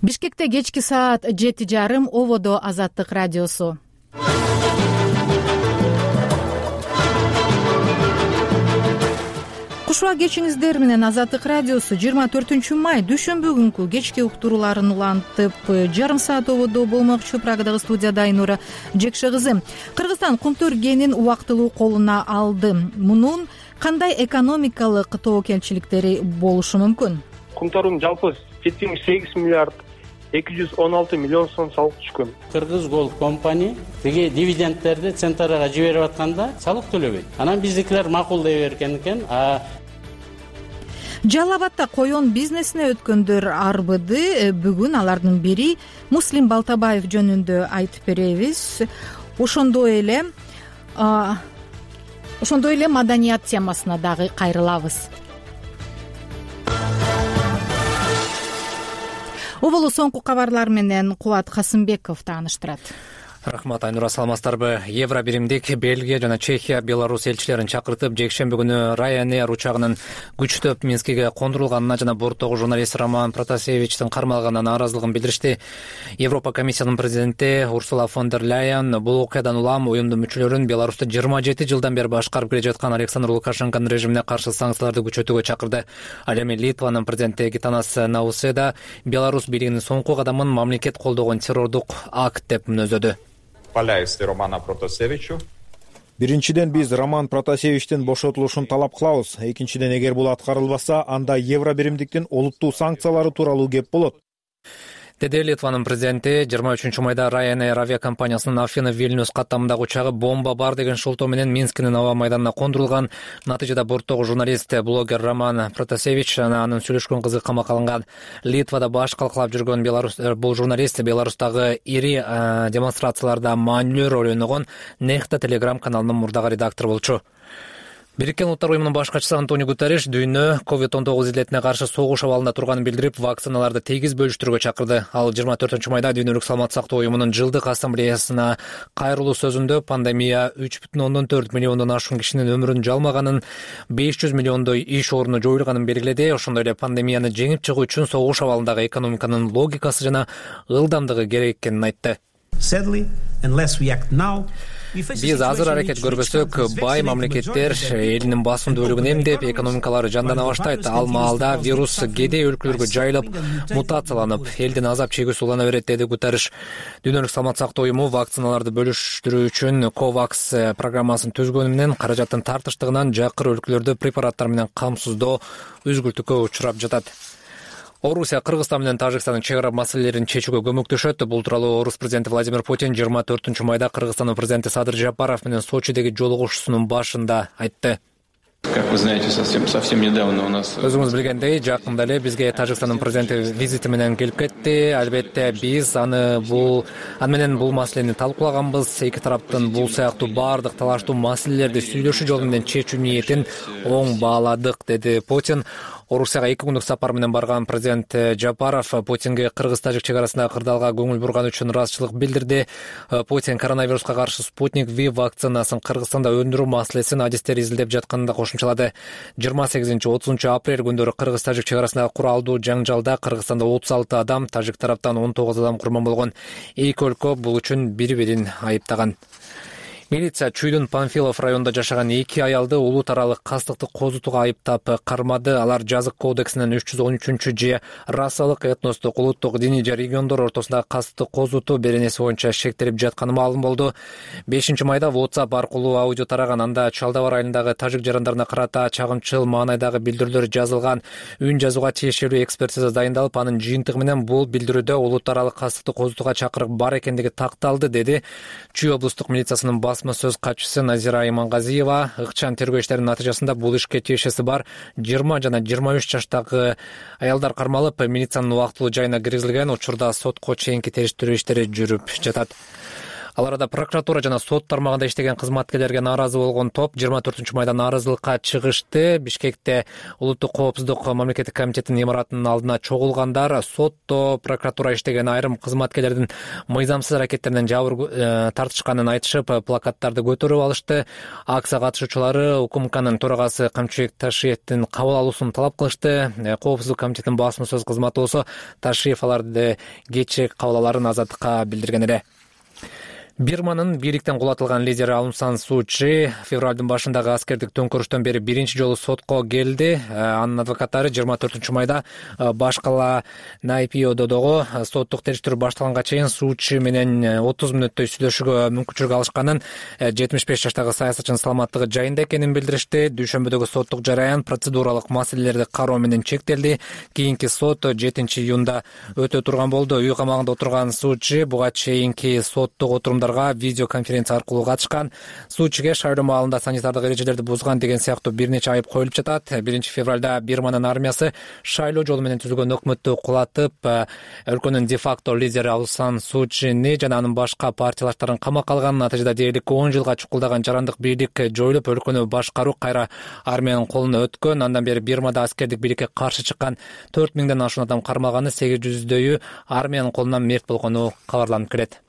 Бишкекте кечки саат 7:30, Ободо Азаттык радиосу. Кушуа кечиңиздер менен Азаттык радиосу 24 май дүшөмбү күнкү кечки уктурууларын улантып, жарым саат ободо болмокчу. Прагадагы студияда Айнура Жекше кызы. Кыргызстан кумтөр кенин убактылуу колуна алды. Мунун кандай экономикалык тобокелчиликтери болушу мүмкүн? Кумтордун жалпы 78 миллиард 216 миллион сом салык түшкөн. Кыргыз Gold компания деге дивидендтерди центрага жиберип атканда салык төлөбөйт. Анан биздикилер макулдай берген экен. Жалал Абадда коен бизнесине өткөндөр арбыды. Бүгүн алардын бири Муслим Балтабаев жөнүндө айтып беребиз. Ошондой эле маданият темасына дагы кайрылабыз. Оболу соңку кабарлар менен Кубат Касымбеков тааныштырат. Рахмат, Айнура, саламатсыздарбы? Евро биримдик Бельгия жана Чехия Беларусь элчилерин чакыртып, жекшемби күнү Ryanair учагынын күчтөп Минскиге кондурулганына жана борттогу журналист Роман Протасевичтин кармалганына нааразылыгын билдиришти. Европа комиссиянын президенти Урсула фон дер Ляйен бул окуядан улам уюмдун мүчөлөрүн Беларусьты 27 жылдан бери башкарып келе жаткан Александр Лукашенконун режимине каршы санкцияларды күчөтүүгө чакырды. Ал эми Литванын президенти Гитанас Науседа Беларусь бийлигинин соңку кадамын мамлекет колдогон террордук акт деп мүнөздөдү. Биринчиден биз Роман Протасевичтин бошотулушун талап кылабыз. Экинчиден, эгер бул аткарылбаса, анда евро биримдиктин олуттуу санкциялары тууралуу кеп болот, деди Литванын президенти. 23 майда Ryanair авиакомпаниясынын Афина Вильнюс каттамындагы учагы бомба бар деген шылтоо менен Минскинин аба майданына кондурулган. Натыйжада борттогу журналист, блогер Роман Протасевич жана анын сүйлөшкөн кызы камакка алынган. Литвада баш калкалап жүргөн бул журналист Беларустагы ири демонстрацияларда маанилүү роль ойногон Нехта Телеграм каналынын мурдагы редактору болчу. Бириккен Улуттар уюмунун башкачысы Антонио Гутерриш дүйнө COVID-19 илдетине каршы согуш абалында турганын билдирип, вакциналарды тегиз бөлүштүрүүгө чакырды. Ал 24 майда Дүйнөлүк саламаттык сактоо уюмунун жылдык ассамблеясына кайрылуу сөзүндө пандемия 3,4 миллиондон ашуун кишинин өмүрүн жалмаганын, 500 миллиондой иш орну жоюлганын белгиледи. Ошондой эле пандемияны жеңип чыгуу үчүн согуш абалындагы экономиканын логикасы жана ылдамдыгы керек экенин айтты. Биз азыр аракет көрбөсөк, бай мамлекеттер элинин басым бөлүгүн эмдеп, экономикалары жандана баштайт. Ал маалда вирус кедей өлкөлөргө жайылып, мутацияланып, элдин азап чегүүсү улана берет, деди Гутерриш. Дүйнөлүк саламаттык сактоо уюму вакциналарды бөлүштүрүү үчүн COVAX программасын түзгөнү менен каражаттын тартыштыгынан жакыр өлкөлөрдө препараттар менен камсыздоо үзгүлтүккө учурап жатат. Орусия Кыргызстан менен Тажикстандын чек ара маселелерин чечүүгө көмөктөшөт. Бул тууралуу Орус президенти Владимир Путин 24 майда Кыргызстандын президенти Садыр Жапаров менен Сочидеги жолугушуусунун башында айтты. Как вы знаете, совсем недавно у нас... Өзүңүз билгендей, жакында эле бизге Тажикстандын президенти визити менен келип кетти. Албетте биз аны менен бул маселени талкуулаганбыз. Эки тараптын бул сыяктуу баардык талаштуу маселелерди сүйлөшүү жолу менен чечүү ниетин оң бааладык, деди Путин. Орусияга 2 күндүк сапар менен барган президент Жапаров Путинге кыргыз-тажик чек арасындагы кырдаалга көңүл бурган үчүн ыраазычылык билдирди. Путин коронавируска каршы Спутник V вакцинасын Кыргызстанда өндүрүү маселесин адистер изилдеп жатканын да кошумчалады. 28-30 апрель күндөрү кыргыз-тажик чек арасындагы куралдуу жаңжалда Кыргызстанда 36 адам, тажик тараптан 19 адам курман болгон. Эки өлкө бул үчүн бири-бирин айыптаган. Милиция Чүйдүн Панфилов районунда жашаган 2 аялды улут аралык кастыкты козутууга айыптап кармады. Алар жазык кодексинин 313 же расалык, этностук, улуттук, диний же региондор ортосундагы кастыкты козутуу беренеси боюнча шектелип жатканы маалым болду. 5-майда WhatsApp аркылуу аудио тараган. Анда Чалдабар айылындагы тажик жарандарына карата чагымчыл маанайдагы билдирүүлөр жазылган. Үн жазууга тиешелүү экспертиза дайындалып, анын жыйынтыгы менен бул билдирүүдө улут аралык кастыкты козутууга чакырык бар экендиги такталды, деди Чүй облустук милициясынын басма сөз катчысы Назира Имангазиева. Ыкчам тергөө иштеринин натыйжасында бул ишке тиешеси бар 20 жана 23 жаштагы аялдар кармалып, милициянын убактылуу жайына киргизилген. Учурда сотко чейинки териштирүү иштери жүрүп жатат. Ал арада прокуратура жана сот тармагында иштеген кызматкерлерге нааразы болгон топ 24-майда нааразылыкка чыгышты. Бишкекте улуттук коопсуздук мамлекеттик комитетинин имаратынын алдына чогулгандар сотто прокуратура иштеген айрым кызматкерлердин мыйзамсыз аракеттеринен жабыр тартышканын айтышып, плакаттарды көтөрүп алышты. Акция катышуучулары УКМКнын төрагасы Камчыбек Ташиевдин кабыл алуусун талап кылышты. Коопсуздук комитетинин басма сөз кызматы болсо Ташиев аларды кечээ кабыл аларын Азаттыкка билдирген эле. Бирманын бийликтен кулатылган лидери Аун-Сан Суу Чжи февралдын башындагы аскердик төңкөрүштөн бери биринчи жолу сотко келди. Анын адвокаттары 24-майда баш кала Найпиододогу соттук териштирүү башталганга чейин Суу Чжи менен 30 мүнөттөй сүйлөшүүгө мүмкүнчүлүк алышканын, 75 жаштагы саясатчынын саламаттыгы жайында экенин билдиришти. Дүйшөмбүдөгү соттук жараян процедуралык маселелерди кароо менен чектелди. Кийинки сот 7-июнда өтө турган болду. Үй камагында отурган Суу Чжи буга чейинки соттук отурумдар видеоконференция аркылуу катышкан. Суу Чжиге шайлоо маалында санитардык эрежелерди бузган деген сыяктуу бир нече айып коюлуп жатат. 1-февралда Бирманын армиясы шайлоо жолу менен түзүлгөн өкмөттү кулатып, өлкөнүн де-факто лидери Аун-Сан Суу Чжини жана анын башка партиялаштарын камакка алган. Натыйжада дээрлик 10 жылга чукулдаган жарандык бийлик жоюлуп, өлкөнү башкаруу кайра армиянын колуна өткөн. Андан бери Бирмада аскердик бийликке каршы чыккан 4000ден ашуун адам кармалганы, 800дөйү армиянын колунан мерт болгону кабарланып келет.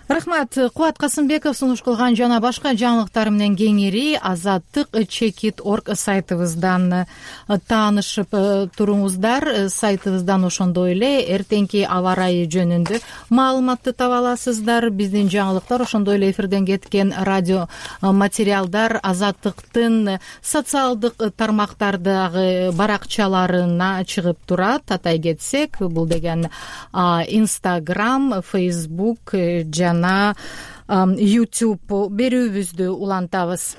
Рахмат. Кубат Касымбеков сунуш кылган жана башка жаңылыктар менен кеңири Азаттык Чекит.орг сайтыбыздан таанышып туруңуздар. Сайтыбыздан ошондой эле эртеңки аба ырайы жөнүндө маалыматты таба аласыздар. Биздин жаңылыктар, ошондой эле эфирден кеткен радио материалдар Азаттыктын социалдык тармактардагы баракчаларына чыгып турат. Атай кетсек, бул деген Instagram, Facebook жана YouTube берүүбүздү улантабыз.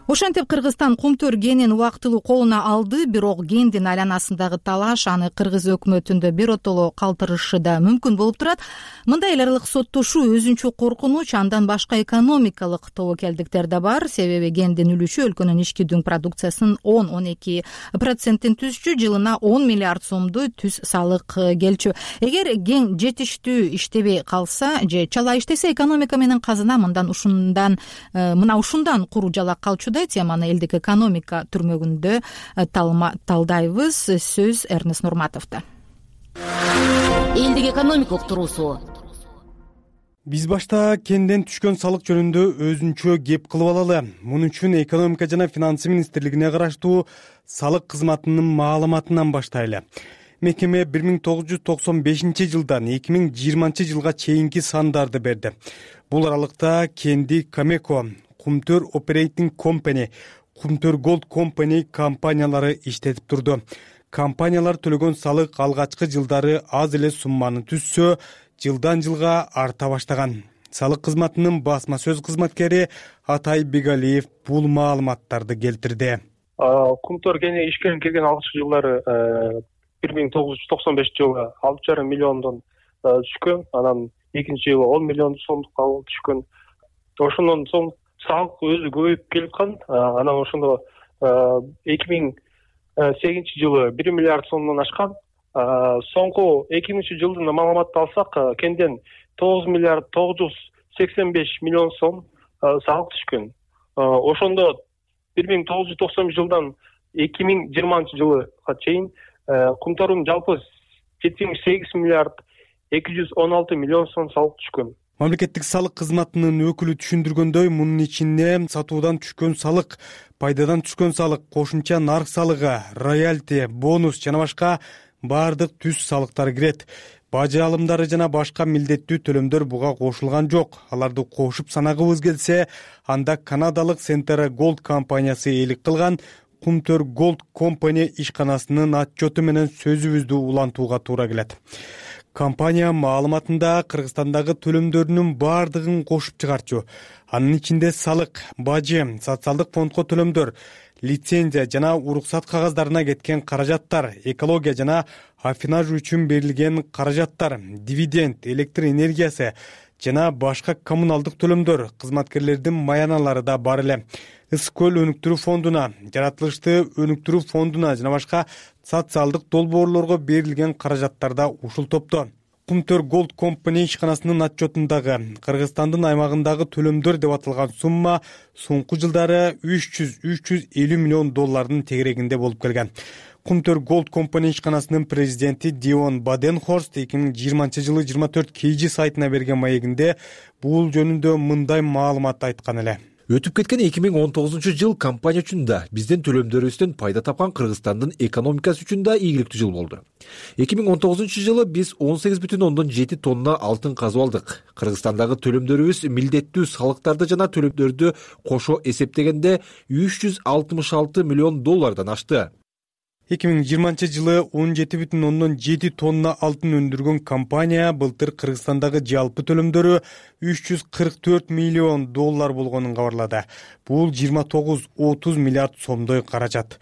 Ошентип Кыргызстан Кумтөр кенин убактылуу колуна алды, бирок кендин айланасындагы талаш аны кыргыз өкмөтүндө биротоло калтырышы да мүмкүн болуп турат. Мындай эл аралык соттошуу өзүнчө коркунуч, андан башка экономикалык тобокелдиктер да бар. Себеби кендин үлүшү өлкөнүн ички дүң продукциясынын 10-12%-ин түзчү, жылына 10 миллиард сомду түз салык келчү. Эгер кен жетиштүү иштебей калса же чала иштесе, экономика менен казына ушундан куру жалак калчу. Теманы элдик экономика түрмөгүндө талдайбыз. Сөз Эрнест Нурматовдо. Элдик экономика уктуруусу. Биз башта кенден түшкөн салык жөнүндө өзүнчө кеп кылып алалы. Муну үчүн экономика жана финансы министрлигине караштуу салык кызматынын маалыматынан баштайлы. Мекеме 1995-жылдан 2020 жылга чейинки сандарды берди. Бул аралыкта Кенди Камеко, Кумтөр Operating Company, Кумтөр Gold Company компаниялары иштетип турду. Компаниялар төлөгөн салык алгачкы жылдары аз эле сумманы түзсө, жылдан жылга арта баштаган. Салык кызматынын басма сөз кызматкери Атай Бегалиев бул маалыматтарды келтирди. Кумтөр кени ишке кирген алгачкы жылдары 1995 жылы 6,5 миллиондон түшкөн, анан экинчи жылы 10 миллион сомдукка түшкөн. Ошондон соң салык өзү көбөйүп келаткан. Анан ошондо 2008 жылы 1 миллиард сомдон ашкан. Соңку 2000-жылдын маалыматты алсак, кенден 9 миллиард 985 миллион сом салык түшкөн. Ошондо 1990 жылдан 2020 жылга чейин Кумтөрдүн жалпы 78 миллиард 216 миллион сом салык түшкөн. Мамлекеттик салык кызматынын өкүлү түшүндүргөндөй, мунун ичинде сатуудан түшкөн салык, пайдадан түшкөн салык, кошумча нарк салыгы, роялти, бонус жана башка баардык түз салыктар кирет. Бажы алымдары жана башка милдеттүү төлөмдөр буга кошулган жок. Аларды кошуп санагыбыз келсе, анда канадалык Centera Gold компаниясы ээлик кылган Kumter Gold Company ишканасынын отчету менен сөзүбүздү улантууга туура келет. Компания маалыматында Кыргызстандагы төлөмдөрүнүн баардыгын кошуп чыгарчу. Анын ичинде салык, бажы, социалдык фондко төлөмдөр, лицензия жана уруксат кагаздарына кеткен каражаттар, экология жана аффинаж үчүн берилген каражаттар, дивиденд, электр энергиясы жана башка коммуналдык төлөмдөр, кызматкерлердин маяналары да бар эле. Ысык көл өнүктүрүү фондуна, жаратылышты өнүктүрүү фондуна жана башка социалдык долбоорлорго берилген каражаттар да ушул топто. Kumter Gold Company ишканасынын отчетундагы Кыргызстандын аймагындагы төлөмдөр деп аталган сумма соңку жылдары 300-350 миллион доллардын тегерегинде болуп келген. Kumter Gold Company ишканасынын президенти Дион Баденхорст 2020 жылы 24 KG сайтына берген маегинде бул жөнүндө мындай маалымат айткан эле. Өтүп кеткен 2019 жыл компания үчүн да, биздин төлөмдөрүбүздөн пайда тапкан Кыргызстандын экономикасы үчүн да ийгиликтүү жыл болду. 2019 жылы биз 18,7 тонна алтын казып алдык. Кыргызстандагы төлөмдөрүбүз милдеттүү салыктарды жана төлөмдөрдү кошо эсептегенде 366 миллион доллардан ашты. 2020 жылы 17,7 тонна алтын өндүргөн компания былтыр Кыргызстандагы жалпы төлөмдөрү 344 миллион доллар болгонун кабарлады. Бул 29-30 миллиард сомдой каражат.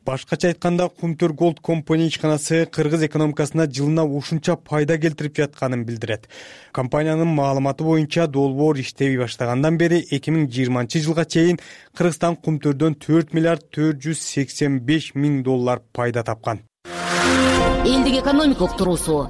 Башкача айтканда, Kumter Gold Company ишканасы кыргыз экономикасына жылына ушунча пайда келтирип жатканын билдирет. Компаниянын маалыматы боюнча долбоор иштей баштагандан бери 2020 жылга чейин Кыргызстан Кумтөрдөн 4 миллиард 485 миң доллар пайда тапкан. Элдик экономика уктуруусу.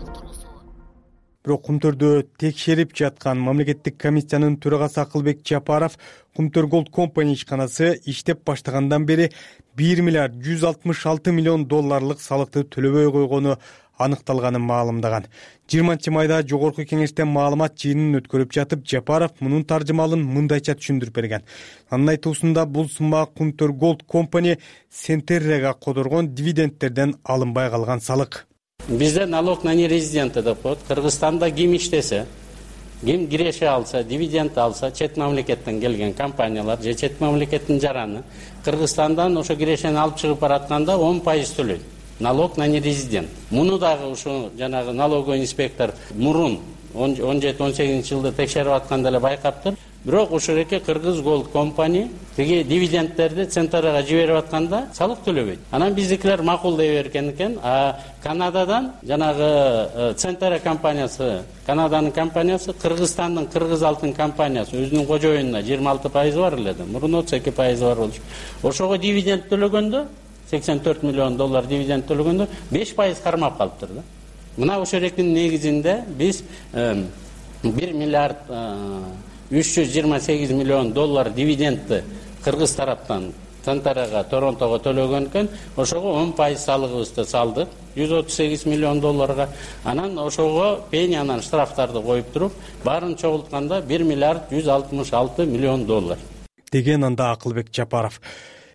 Бирок Кумтөрдө текшерип жаткан мамлекеттик комиссиянын төрагасы Акылбек Жапаров Kumter Gold Company ишканасы иштеп баштагандан бери 1 миллиард 166 миллион долларлык салыкты төлөбөй койгону аныкталганын маалымдаган. 20 майда жогорку кеңештен маалымат жыйынын өткөрүп жатып, Жапаров мунун таржымалын мындайча түшүндүрүп берген. Анын айтуусунда бул сумма Kumter Gold Company Centera'га кодоргон дивидендтерден алынбай калган салык. Бизде налог на нерезиденты деп коет. Кыргызстанда ким иштесе, ким киреше алса, дивиденд алса, чет мамлекеттен келген компаниялар же чет мамлекеттин жараны Кыргызстандан ошо кирешени алып чыгып баратканда 10% төлөйт. Налог на нерезидент. Муну дагы ушу жанагы налоговый инспектор мурун 17-18 жылда текшерип атканда эле байкаптыр. Бирок ушул эки Кыргыз Gold Company тиги дивидендтерди Centera'га жиберип атканда салык төлөбөйт. Анан биздикилер макулдай берген экен. Канададан жанагы Centera компаниясы, Канаданын компаниясы, Кыргызстандын Кыргыз алтын компаниясы өзүнүн кожоюнуна 26% бар эле да. Мурун 32% бар болчу. Ошого дивиденд төлөгөндө 84 миллион доллар дивиденд төлөгөндө 5% кармап калыптыр да. Мына ошол экинин негизинде биз 1 миллиард 328 миллион доллар дивидендти Кыргыз тараптан Centera'га, Торонтого төлөгөн экен. Ошого 10% салыгыбызды салдык, 138 миллион долларга. Анан ошого пенянан штрафтарды коюп туруп, баарын чогултканда 1 миллиард 166 миллион доллар. Деген анда Акылбек Жапаров.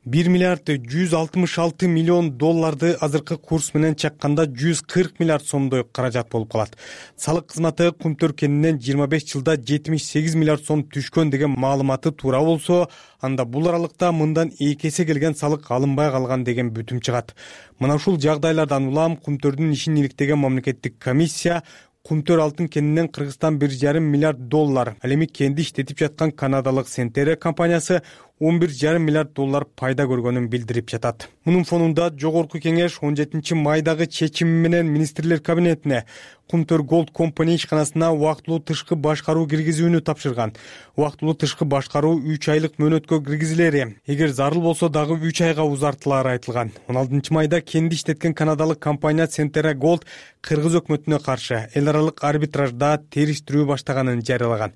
1 миллиард 166 миллион долларды азыркы курс менен чакканда 140 миллиард сомдой каражат болуп калат. Салык кызматы Kumter кенинен 25 жылда 78 миллиард сом түшкөн деген маалыматы туура болсо, анда бул аралыкта мындан 2 эсе келген салык алынбай калган деген бүтүм чыгат. Мына ушул жагдайлардан улам Kumterдин ишин иликтеген мамлекеттик комиссия Kumter алтын кенинен Кыргызстан 1,5 миллиард доллар, ал эми кенди иштетип жаткан канадалык Centera компаниясы 11,5 миллиард доллар пайда көргөнүн билдирип жатат. Мунун фонунда жогорку кеңеш 17 майдагы чечими менен министрлер кабинетине Kumter Gold Company ишканасына убактылуу тышкы башкаруу киргизүүнү тапшырган. Убактылуу тышкы башкаруу 3 айлык мөөнөткө киргизилери, эгер зарыл болсо дагы 3 айга узартылары айтылган. 16 майда кенди иштеткен канадалык компания Centera Gold кыргыз өкмөтүнө каршы эл аралык арбитражда териштирүү баштаганын жарыялаган.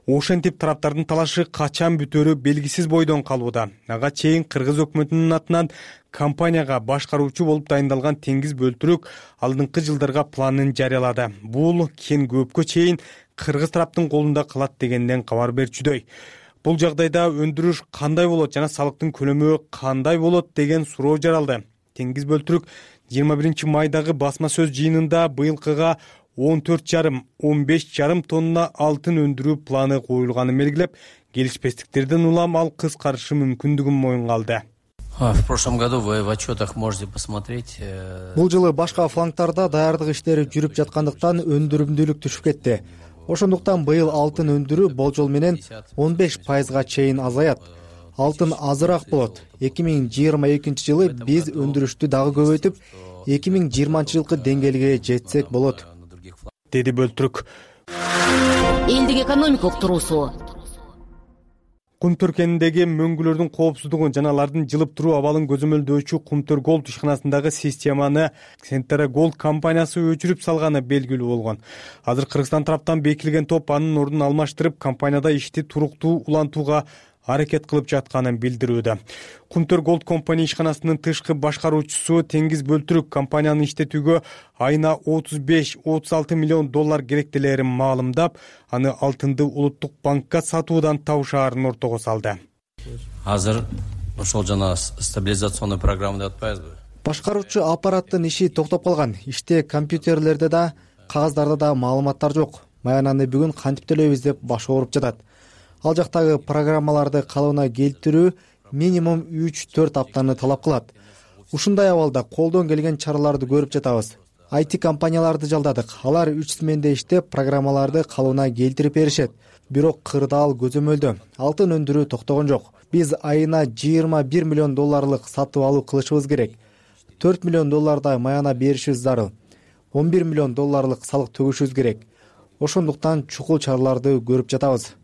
Ошентип тараптардын талашы качан бүтөрү белгисиз бойдон калууда. Ага чейин кыргыз өкмөтүнүн атынан компанияга башкаруучу болуп дайындалган Теңиз Бөлтүрүк алдыңкы жылдарга планын жарыялады. Бул кен көпкө чейин кыргыз тараптын колунда калат дегенден кабар берчүдөй. Бул жагдайда өндүрүш кандай болот жана салыктын көлөмү кандай болот деген суроо жаралды. Теңиз Бөлтүрүк 21 майдагы басма сөз жыйынында быйылкыга 14,5-15,5 тонна алтын өндүрүү планы коюлганын белгилеп, келишпестиктерден улам ал кыскарышы мүмкүндүгүн моюнга алды. В прошлом году вы в отчетах можете посмотреть. Бул жылы башка флангтарда даярдык иштери жүрүп жаткандыктан өндүрүмдүүлүк түшүп кетти. Ошондуктан быйыл алтын өндүрүү болжол менен 15%га чейин азаят. Алтын азыраак болот. 2022 жылы биз өндүрүштү дагы көбөйтүп, 2020 жылкы деңгээлге жетсек болот, деди Бөлтүрүк. Элдик экономика уктуруусу. Кумтөр кенindеги мөңгүлөрдүн коопсуздугун жана алардын жылып туруу абалын көзөмөлдөөчү Кумтөр Голд ишканасындагы системаны Centera Gold компаниясы өчүрүп салганы белгилүү болгон. Азыр Кыргызстан тараптан бекитилген топ анын ордун алмаштырып, компанияда ишти туруктуу улантууга аракет кылып жатканын билдирүүдө. Кумтөр Голд компания ишканасынын тышкы башкаруучусу Теңиз Бөлтүрүк компанияны иштетүүгө айына 35-36 миллион доллар керектелерин маалымдап, аны алтынды улуттук банкка сатуудан табышаарын ортого салды. Азыр ошол жана стабилизационный программа деп атпайбызбы? Башкаруучу аппараттын иши токтоп калган. Иште компьютерлерде да, кагаздарда да маалыматтар жок. Маянаны бүгүн кантип төлөйбүз деп баш ооруп жатат. Ал жактагы программаларды калыбына келтирүү минимум 3-4 аптаны талап кылат. Ушундай абалда колдон келген чараларды көрүп жатабыз. IT компанияларды жалдадык. Алар 3 сменде иштеп, программаларды калыбына келтирип беришет. Бирок кырдаал көзөмөлдө. Алтын өндүрүү токтогон жок. Биз айына 21 миллион долларлык сатып алуу кылышыбыз керек. 4 миллион доллардай маяна беришибиз зарыл. 11 миллион долларлык салык төгүшүбүз керек. Ошондуктан чукул чараларды көрүп жатабыз.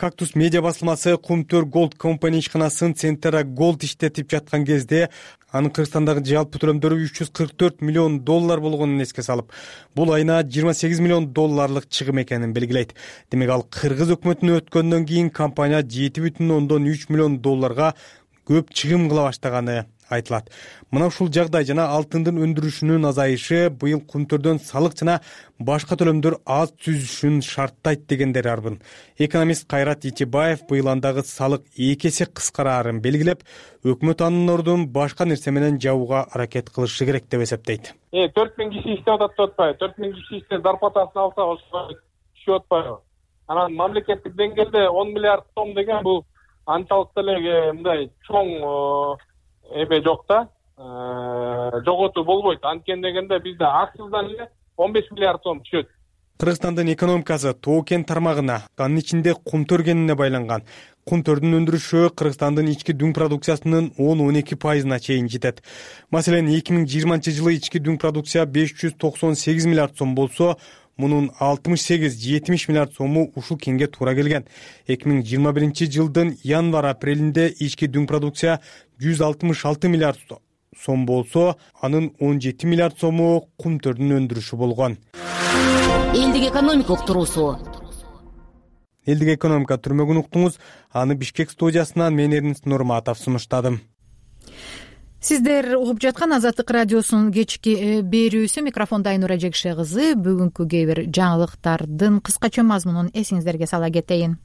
Кактус медиа басылмасы Кумтөр Голд компания ишканасын Centera Gold иштетип жаткан кезде анын Кыргызстандагы жалпы төлөмдөрү 344 миллион доллар болгонун эске салып, бул айына 28 миллион долларлык чыгым экенин белгилейт. Демек ал кыргыз өкмөтүнө өткөндөн кийин компания 7,3 миллион долларга көп чыгым кыла баштаганы айтылат. Мына ушул жагдай жана алтындын өндүрүшүнүн азайышы быйыл Кумтөрдөн салык жана башка төлөмдөр аз түзүшүн шарттайт дегендер арбын. Экономист Кайрат Итибаев быйыл андагы салык 2 эсе кыскараарын белгилеп, өкмөт анын ордун башка нерсе менен жабууга аракет кылышы керек деп эсептейт. 4000 киши иштеп атат деп атпайбы? 4000 киши иштеп зарплатасын алса, ошого түшүп атпайбы? Анан мамлекеттик деңгээлде 10 миллиард сом деген бул анчалык деле мындай чоң эме жок да, жоготуу болбойт. Анткени дегенде бизде акциздан эле 15 миллиард сом түшөт. Кыргызстандын экономикасы тоо кен тармагына, анын ичинде Кумтөр кенине байланган. Кумтөрдүн өндүрүшү Кыргызстандын ички дүң продукциясынын 10-12%-на чейин жетет. Маселен, 2020 жылы ички дүң продукция 598 миллиард сом болсо, мунун 68-70 миллиард сому ушул кенге туура келген. 2021 жылдын январь-апрелинде ички дүң продукция 166 миллиард сом болсо, анын 17 миллиард сому Кумтөрдүн өндүрүшү болгон. Элдик экономика уктуруусу. Элдик экономика түрмөгүн уктуңуз. Аны Бишкек студиясынан мен Эрнест Нурматов сунуштадым. Сиздер угуп жаткан Азаттык радиосунун кечки берүүсү. Микрофондо Айнура Жекше кызы. Бүгүнкү кээ бир жаңылыктардын кыскача мазмунун эсиңиздерге сала кетейин.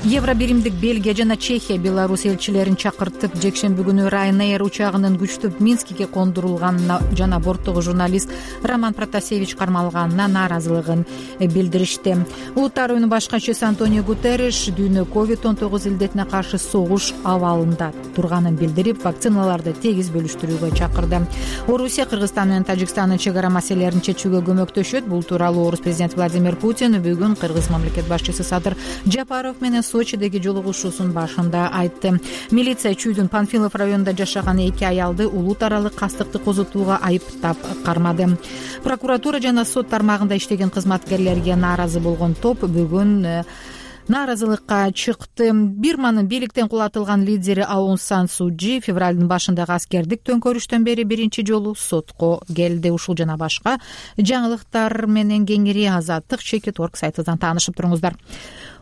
Евро биримдик Бельгия жана Чехия Беларусь элчилерин чакыртып, жекшемби күнү Ryanair учагынын күчтүп Минскиге кондурулганына жана борттогу журналист Роман Протасевич кармалганына нааразылыгын билдиришти. Улуттар оюнунун башкачысы Антонио Гутерриш дүйнө COVID-19 илдетине каршы согуш абалында турганын билдирип, вакциналарды тегиз бөлүштүрүүгө чакырды. Орусия Кыргызстан менен Тажикстандын чек ара маселелерин чечүүгө көмөктөшөт. Бул тууралуу орус президенти Владимир Путин бүгүн кыргыз мамлекет башчысы Садыр Жапаров менен Сочидеги жолугушуусунун башында айтты. Милиция Чүйдүн Панфилов районунда жашаган 2 аялды улут аралык кастыкты козутууга айыптап кармады. Прокуратура жана сот тармагында иштеген кызматкерлерге нааразы болгон топ бүгүн нааразылыкка чыкты. Бирманын бийликтен кулатылган лидери Аун Сан Су Чжи февралдын башындагы аскердик төңкөрүштөн бери биринчи жолу сотко келди. Ушул жана башка жаңылыктар менен кеңири Азаттык Чекит.org сайтынан таанышып туруңуздар.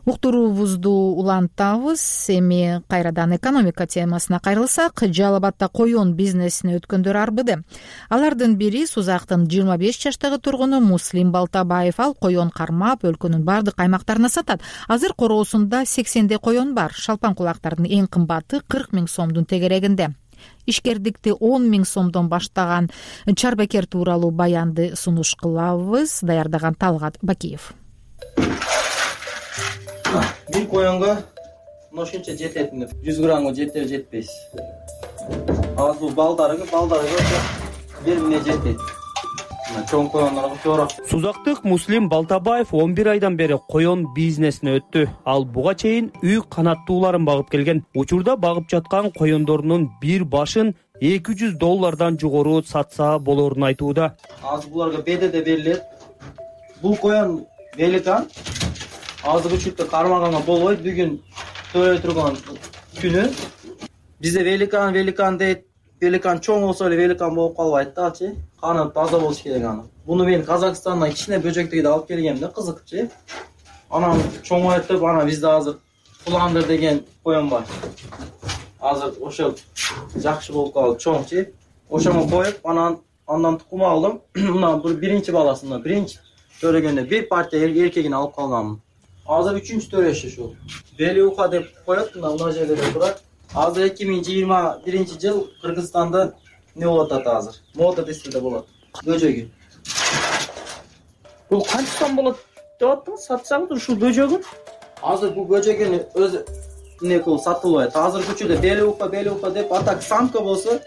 уктуруубузду улантабыз. Эми кайрадан экономика темасына кайрылсак, Жалал Абадда коён бизнесине өткөндөр арбыды. Алардын бири Сузактын 25 жаштагы тургуну Муслим Балтабаев. Ал коён кармап, өлкөнүн бардык аймактарына сатат. Азыр короосунда 80 коён бар. Шалпан кулактардын эң кымбаты 40 000 сомдун тегерегинде. Ишкердикти 10 000 сомдон баштаган чарбакер тууралуу баянды сунуш кылабыз. Даярдаган Талгат Бакиев. Бир коёнго ошончо жетет, 100 граммга жетер жетпейс. Азыр бул балдарыга 1 миңге жетет. Чоң коёндорго чоорок. Сузактык Муслим Балтабаев 11 айдан бери коён бизнесине өттү. Ал буга чейин үй канаттууларын багып келген. Учурда багып жаткан коёндорунун бир башын $200 жогору сатса болорун айтууда. Азыр буларга бедеде берилет. Бул коён великан. Азыр учурда кармаганга болбойт. Бүгүн төрөй турган күнү. Бизде великан дейт. Великан чоң болсо эле великан болуп калбайт дачы. Каны таза болуш керек аны. Буну мен Казакстандан кичине бөжөктөгү алып келгем да, кызыкчы. Анан чоңойтуп, анан бизде азыр Куландыр деген коён бар. Азыр ошол жакшы болуп калды, чоңчу. Ошону коюп, андан тукум алдым. Мына бул биринчи баласынан, биринчи төрөгөндө бир партия эркегин алып калганмын. Азыр 3-чү төрөшү ушул. Бели уха деп коет, мына жерде турат. Азыр 2021 жыл Кыргызстанда не болот ата азыр? Мода десе болот. Бөжөгү. Бул канча сом болот деп аттыңыз? Сатсаңыз ушул бөжөгүн? Азыр бул бөжөгүн өзү не кылып сатылбайт. Азыр күчүдө бели уха деп атак самка болсо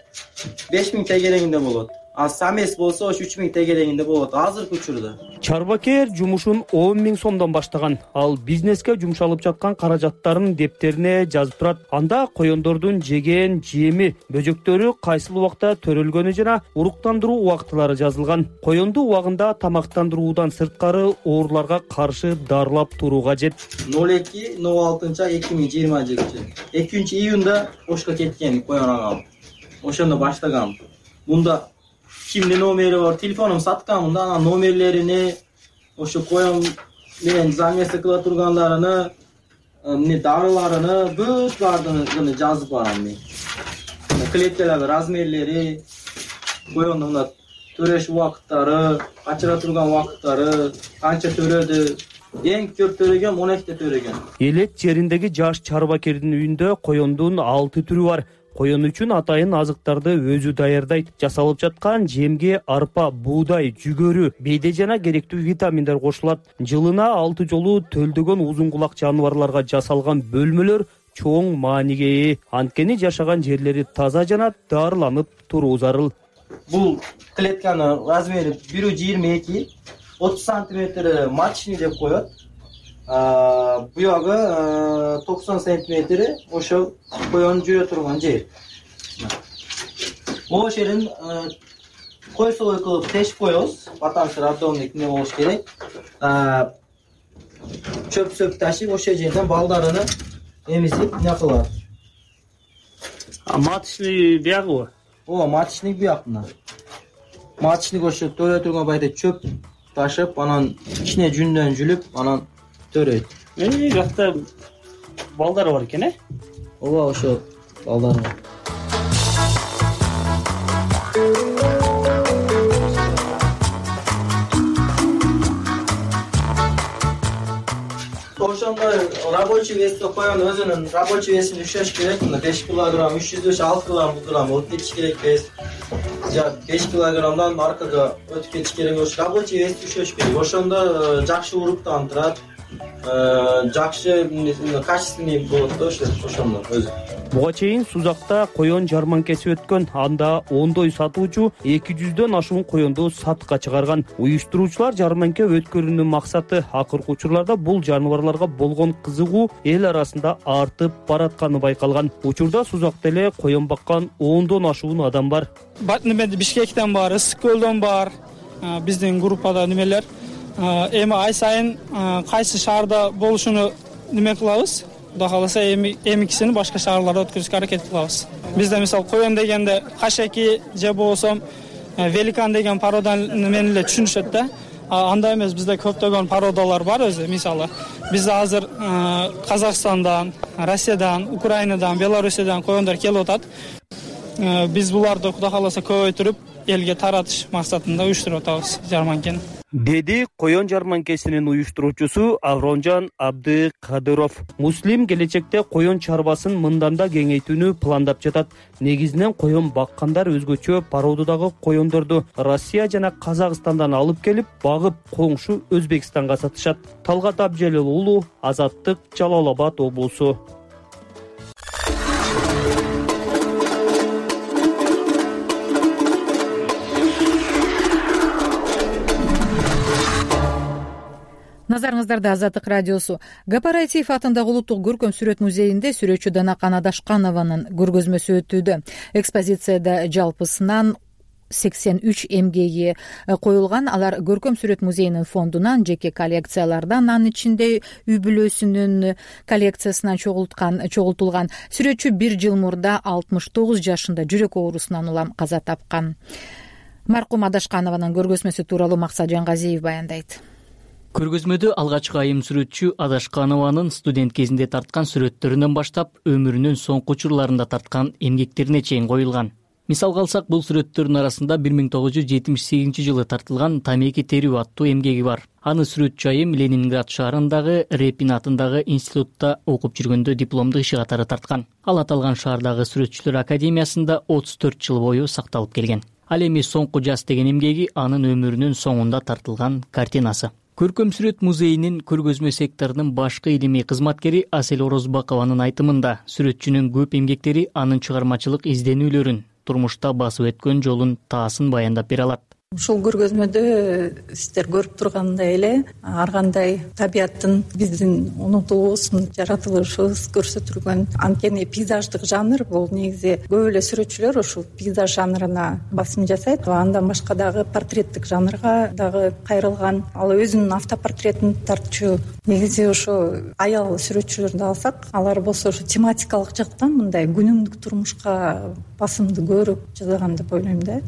5 000 тегерегинде болот. А самес болсо 3 000 тегерегинде болот. Азыр күчүрдө. Чарбакер жумушун 10 000 сомдон баштаган. Ал бизнеске жумшалып жаткан каражаттарын дептерине жазып турат. Анда коёндордун жеген, жеми, бөжөктөрү кайсыл убакта төрөлгөнү жана уруктандыруу убактылары жазылган. Коёнду убагында тамактандыруудан сырткары ооруларга каршы дарылап туруу кажет. 02-06-2020 2-июнда ошко кеткен коён агам. Ошондо баштагам. Мунда кимдин номери бар, телефонум сатканмын да, анан номерлеrini, ошо коён менен замесы кыла тургандарыны, дарыларыны, бүт баардыгын жазып барам мен. Клеткалардын размерлери, коёндун төрөш убакыттары, качыра турган убакыттары, канча төрөдү. Эң көп төрөгөн 12 төрөгөн. Элек жериндеги жаш чарбакердин үйүндө коёндун 6 түрү бар. Коён үчүн атайын азыктарды өзү даярдайт. Жасалып жаткан жемге арпа, буудай, жүгөрү, бейде жана керектүү витаминдер кошулат. Жылына 6 жолу төлдөгөн узун кулак жаныбарларга жасалган бөлмөлөр чоң мааниге ээ. Анткени жашаган жерлери таза жана дарыланып туруу зарыл. Бул клетканын размери 1,22, 30 сантиметр матчный деп коет. Буягы 90 сантиметр ошо коён жүрө турган жер. Могу жерин койсолой кылып тешип коебуз. Батаңсы радомник не болуш керек. Чөп ташып ошол жерден балдарыны эмизип не кылат. Матчный биягыбы? Матчный бияк мына. Матчный ошо төрө турган байда чөп ташып, анан кичине жүндөн жүлүп, анан төрөйт. Жакта балдары бар экен, э? Ооба, ошо балдары бар. Ошондой рабочий веске коён өзүнүн рабочий весин düşөш керек. 5 килограмм, 306 килограмм өтүп кетиш керек эмес. 5 килограммдан аркага өтүп кетиш керек. Ошо рабочий вес düşөш керек. Ошондо жакшы уруктандырат. Жакшы качественный болот да ошондо өзү. Буга чейин Сузакта коён жарманкеси өткөн. Анда ондой сатуучу 200дөн ашуун коёнду сатыкка чыгарган. Уюштуруучулар жарманке өткөрүүнүн максаты акыркы учурларда бул жаныбарларга болгон кызыгуу эл арасында артып баратканы байкалган. Учурда Сузакта эле коён баккан 10дон ашуун адам бар. Бишкектен бар, Ысык көлдөн бар. Биздин группада немелер. Эми ай сайын кайсы шаарда болушуну неме кылабыз. Кудай кааласа эмикисини башка шаарларда өткөрүшкө аракет кылабыз. Бизде мисалы коён дегенде кашеки же болсо великан деген порода менен эле түшүнүшөт да. андай эмес, бизде көптөгөн породалар бар өзү. Мисалы, бизде азыр Казакстандан, Россиядан, Украинадан, Белоруссиядан коёндар келип атат. Биз буларды Кудай кааласа көбөйтүрүп, элге таратыш максатында уюштуруп атабыз жарманкени, деди коён жарманкесинин уюштуруучусу Авронжан Абдыкадыров. Муслим келечекте коён чарбасын мындан да кеңейтүүнү пландап жатат. Негизинен коён баккандар өзгөчө породадагы коёндорду Россия жана Казакстандан алып келип, багып коңшу Өзбекстанга сатышат. Талгат Абжалил уулу, Азаттык, Жалал Абад облусу. Назарыңыздарда Азаттык радиосу. Гапараитиев атындагы улуттук көркөм сүрөт музейинде сүрөтчү Данакан Адашканованын көргөзмөсү өтүүдө. Экспозицияда жалпысынан 83 эмгеги коюлган. Алар көркөм сүрөт музейинин фондунан, жеке коллекциялардан, анын ичинде үй бүлөсүнүн коллекциясынан чогултулган. Сүрөтчү 1 жыл мурда 69 жашында жүрөк оорусунан улам каза тапкан. Маркум Адашканованын көргөзмөсү тууралуу Максат Жангазиев баяндайт. Көргөзмөдө алгачкы айым сүрөтчү Адашканованын студент кезинде тарткан сүрөттөрүнөн баштап өмүрүнүн соңку учурларында тарткан эмгектерине чейин коюлган. Мисалга алсак, бул сүрөттөрдүн арасында 1978 жылы тартылган Тамеки терүү аттуу эмгеги бар. Аны сүрөтчү айым Ленинград шаарындагы Репин атындагы институтта окуп жүргөндө дипломдук иши катары тарткан. Ал аталган шаардагы сүрөтчүлөр академиясында 34 жыл бою сакталып келген. Ал эми соңку жаз деген эмгеги анын өмүрүнүн соңунда тартылган картинасы. Көркөм сүрөт музейинин көргөзмө секторунун башкы илимий кызматкери Асель Орозбакованын айтымында, сүрөтчүнүн көп эмгектери анын чыгармачылык изденүүлөрүн, турмушта басып өткөн жолун таасын баяндап бере алат. Ушул көргөзмөдө сиздер көрүп тургандай эле ар кандай табияттын биздин унутуубузун, жаратылышыбыз көрсөтүлгөн. Анткени пейзаждык жанр бул негизи көп эле сүрөтчүлөр ушул пейзаж жанрына басым жасайт. Андан башка дагы портреттик жанрга дагы кайрылган. Ал өзүнүн автопортретин тартчу. Негизи ошо аял сүрөтчүлөрдү алсак, алар болсо ошо тематикалык жактан мындай күнүмдүк турмушка басымды көрүп жасаган деп ойлойм да.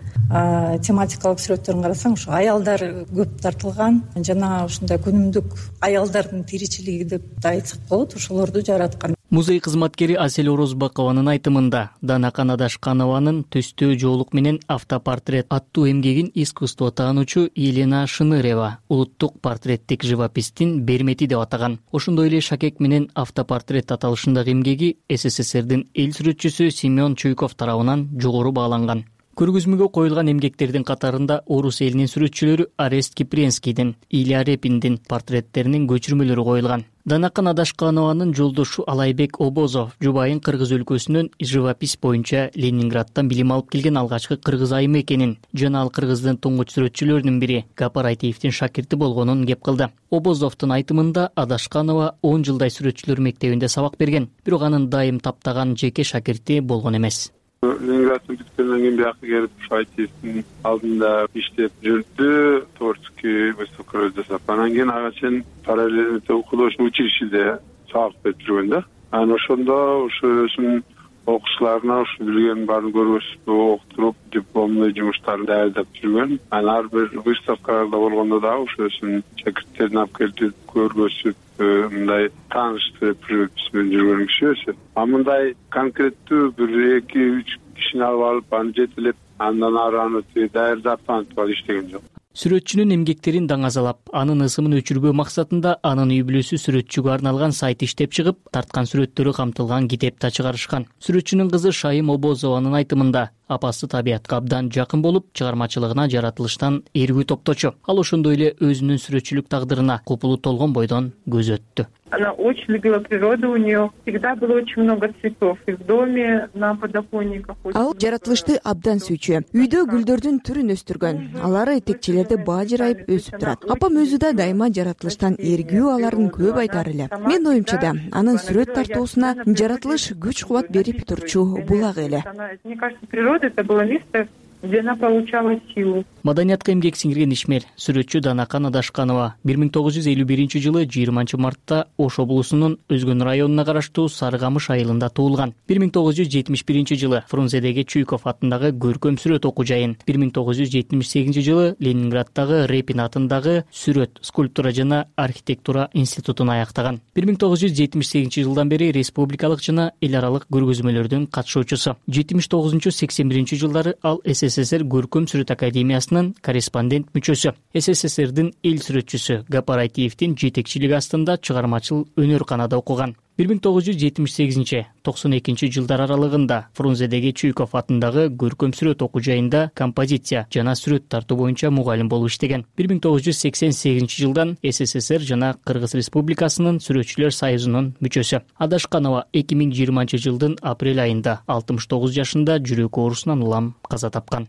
Тематикалык сүрөттөрүн карасаң, ошо аялдар көп тартылган жана ушундай күнүмдүк аялдардын тиричилиги деп да айтсак болот, ошолорду жараткан. Музей кызматкери Асель Орозбакованын айтымында, Данакан Адашканованын Төстөө жоолук менен автопортрет аттуу эмгегин искусство таануучу Елена Шынырева улуттук портреттик живопистин бермети деп атаган. Ошондой эле Шакек менен автопортрет аталышындагы эмгеги СССРдин эл сүрөтчүсү Семен Чуйков тарабынан жогору бааланган. Көргөзмөгө коюлган эмгектердин катарында орус элинин сүрөтчүлөрү Арест Кипренскийдин, Илья Репиндин портреттеринин көчүрмөлөрү коюлган. Данакан Адашканованын жолдошу Алайбек Обозов жубайын Кыргыз өлкөсүнөн живопись боюнча Ленинградтан билим алып келген алгачкы кыргыз айымы экенин жана ал Кыргыздын туңгуч сүрөтчүлөрүнүн бири Гапараитиевдин шакирти болгонун кеп кылды. Обозовдун айтымында Адашканова 10 жылдай сүрөтчүлөр мектебинде сабак берген, бирок анын дайым таптаган жеке шакирти болгон эмес. Ленинградтан бүткөндөн кийин бияка келип Шайтиевдин алдында иштеп жүрдү, творческий выставкалар жасап. Анан кийин ага чейин параллельно художественный училищеде сабак берип жүргөн да. Анан ошондо өзүнүн окуучуларына билген баарын көргөзүп, окутуруп, дипломный жумуштарын даярдап жүргөн. Анан ар бир выставкаларда болгондо дагы өзүнүн шакирттерин алып келип көргөзүп, мындай тааныштырып жүргөн киши өзү. Мындай конкреттүү 1-2-3 кишини алып аны жетелеп, андан ары аны даярдап танытып иштеген жок. Сүрөтчүнүн эмгектерин даңазалап, анын ысымын өчүрбөө максатында анын үй бүлөсү сүрөтчүгө арналган сайт иштеп чыгып, тарткан сүрөттөрү камтылган китеп да чыгарышкан. Сүрөтчүнүн кызы Шайым Обозованын айтымында, апасы табиятка абдан жакын болуп, чыгармачылыгына жаратылыштан эргүү топточу. Ал ошондой эле өзүнүн сүрөтчүлүк тагдырына купулу толгон бойдон көз өттү. Она очень любила природу, у нее всегда было очень много цветов. И в доме, на подоконниках. Ал жаратылышты абдан сүйчү. Үйдө гүлдөрдүн түрүн өстүргөн. Алары этекчелерде бажырайып өсүп турат. Апам өзү да дайыма жаратылыштан эргүү аларын көп айтар эле. Мен оюмча да анын сүрөт тартуусуна жаратылыш күч-кубат берип турчу булак эле. Мне кажется, природа это было место, где она получала силу. Маданиятка эмгек сиңирген ишмер сүрөтчү Данакан Адашканова 1951-жылы 20 мартта Ош облусунун Өзгөн районуна караштуу Сарыкамыш айылында туулган. 1971-жылы Фрунзедеги Чуйков атындагы көркөм сүрөт окуу жайын, 1978-жылы Ленинграддагы Репин атындагы сүрөт, скульптура жана архитектура институтун аяктаган. 1978-жылдан бери республикалык жана эл аралык көргөзмөлөрдүн катышуучусу. 79-81 жылдары ал СССР көркөм сүрөт академиясынын корреспондент мүчөсү. СССРдин эл сүрөтчүсү Гапар Айтиевдин жетекчилиги астында чыгармачыл өнөр-канада окуган. 1978-92 жылдар аралыгында Фрунзедеги Чуйков атындагы көркөм сүрөт окуу жайында композиция жана сүрөт тартуу боюнча мугалим болуп иштеген. 1988 жылдан СССР жана Кыргыз Республикасынын сүрөтчүлөр союзунун мүчөсү. Адашканова 2020 жылдын апрель айында 69 жашында жүрөк оорусунан улам каза тапкан.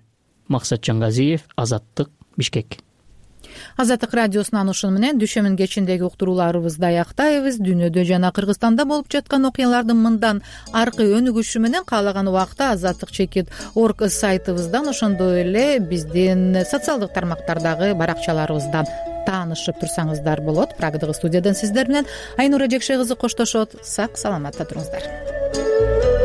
Максат Жангазиев, Азаттык, Бишкек. Азаттык радиосунан ушуну менен дүшөмүн кечиндеги уктурууларыбызды аяктайбыз. Дүйнөдө жана Кыргызстанда болуп жаткан окуялардын мындан аркы өнүгүшү менен каалаган убакта azattik.org сайтыбыздан, ошондой эле биздин социалдык тармактардагы баракчаларыбыздан таанышып турсаңыздар болот. Прагадагы студиядан сиздер менен Айнура Жекше кызы коштошот. Сак саламатта туруңуздар.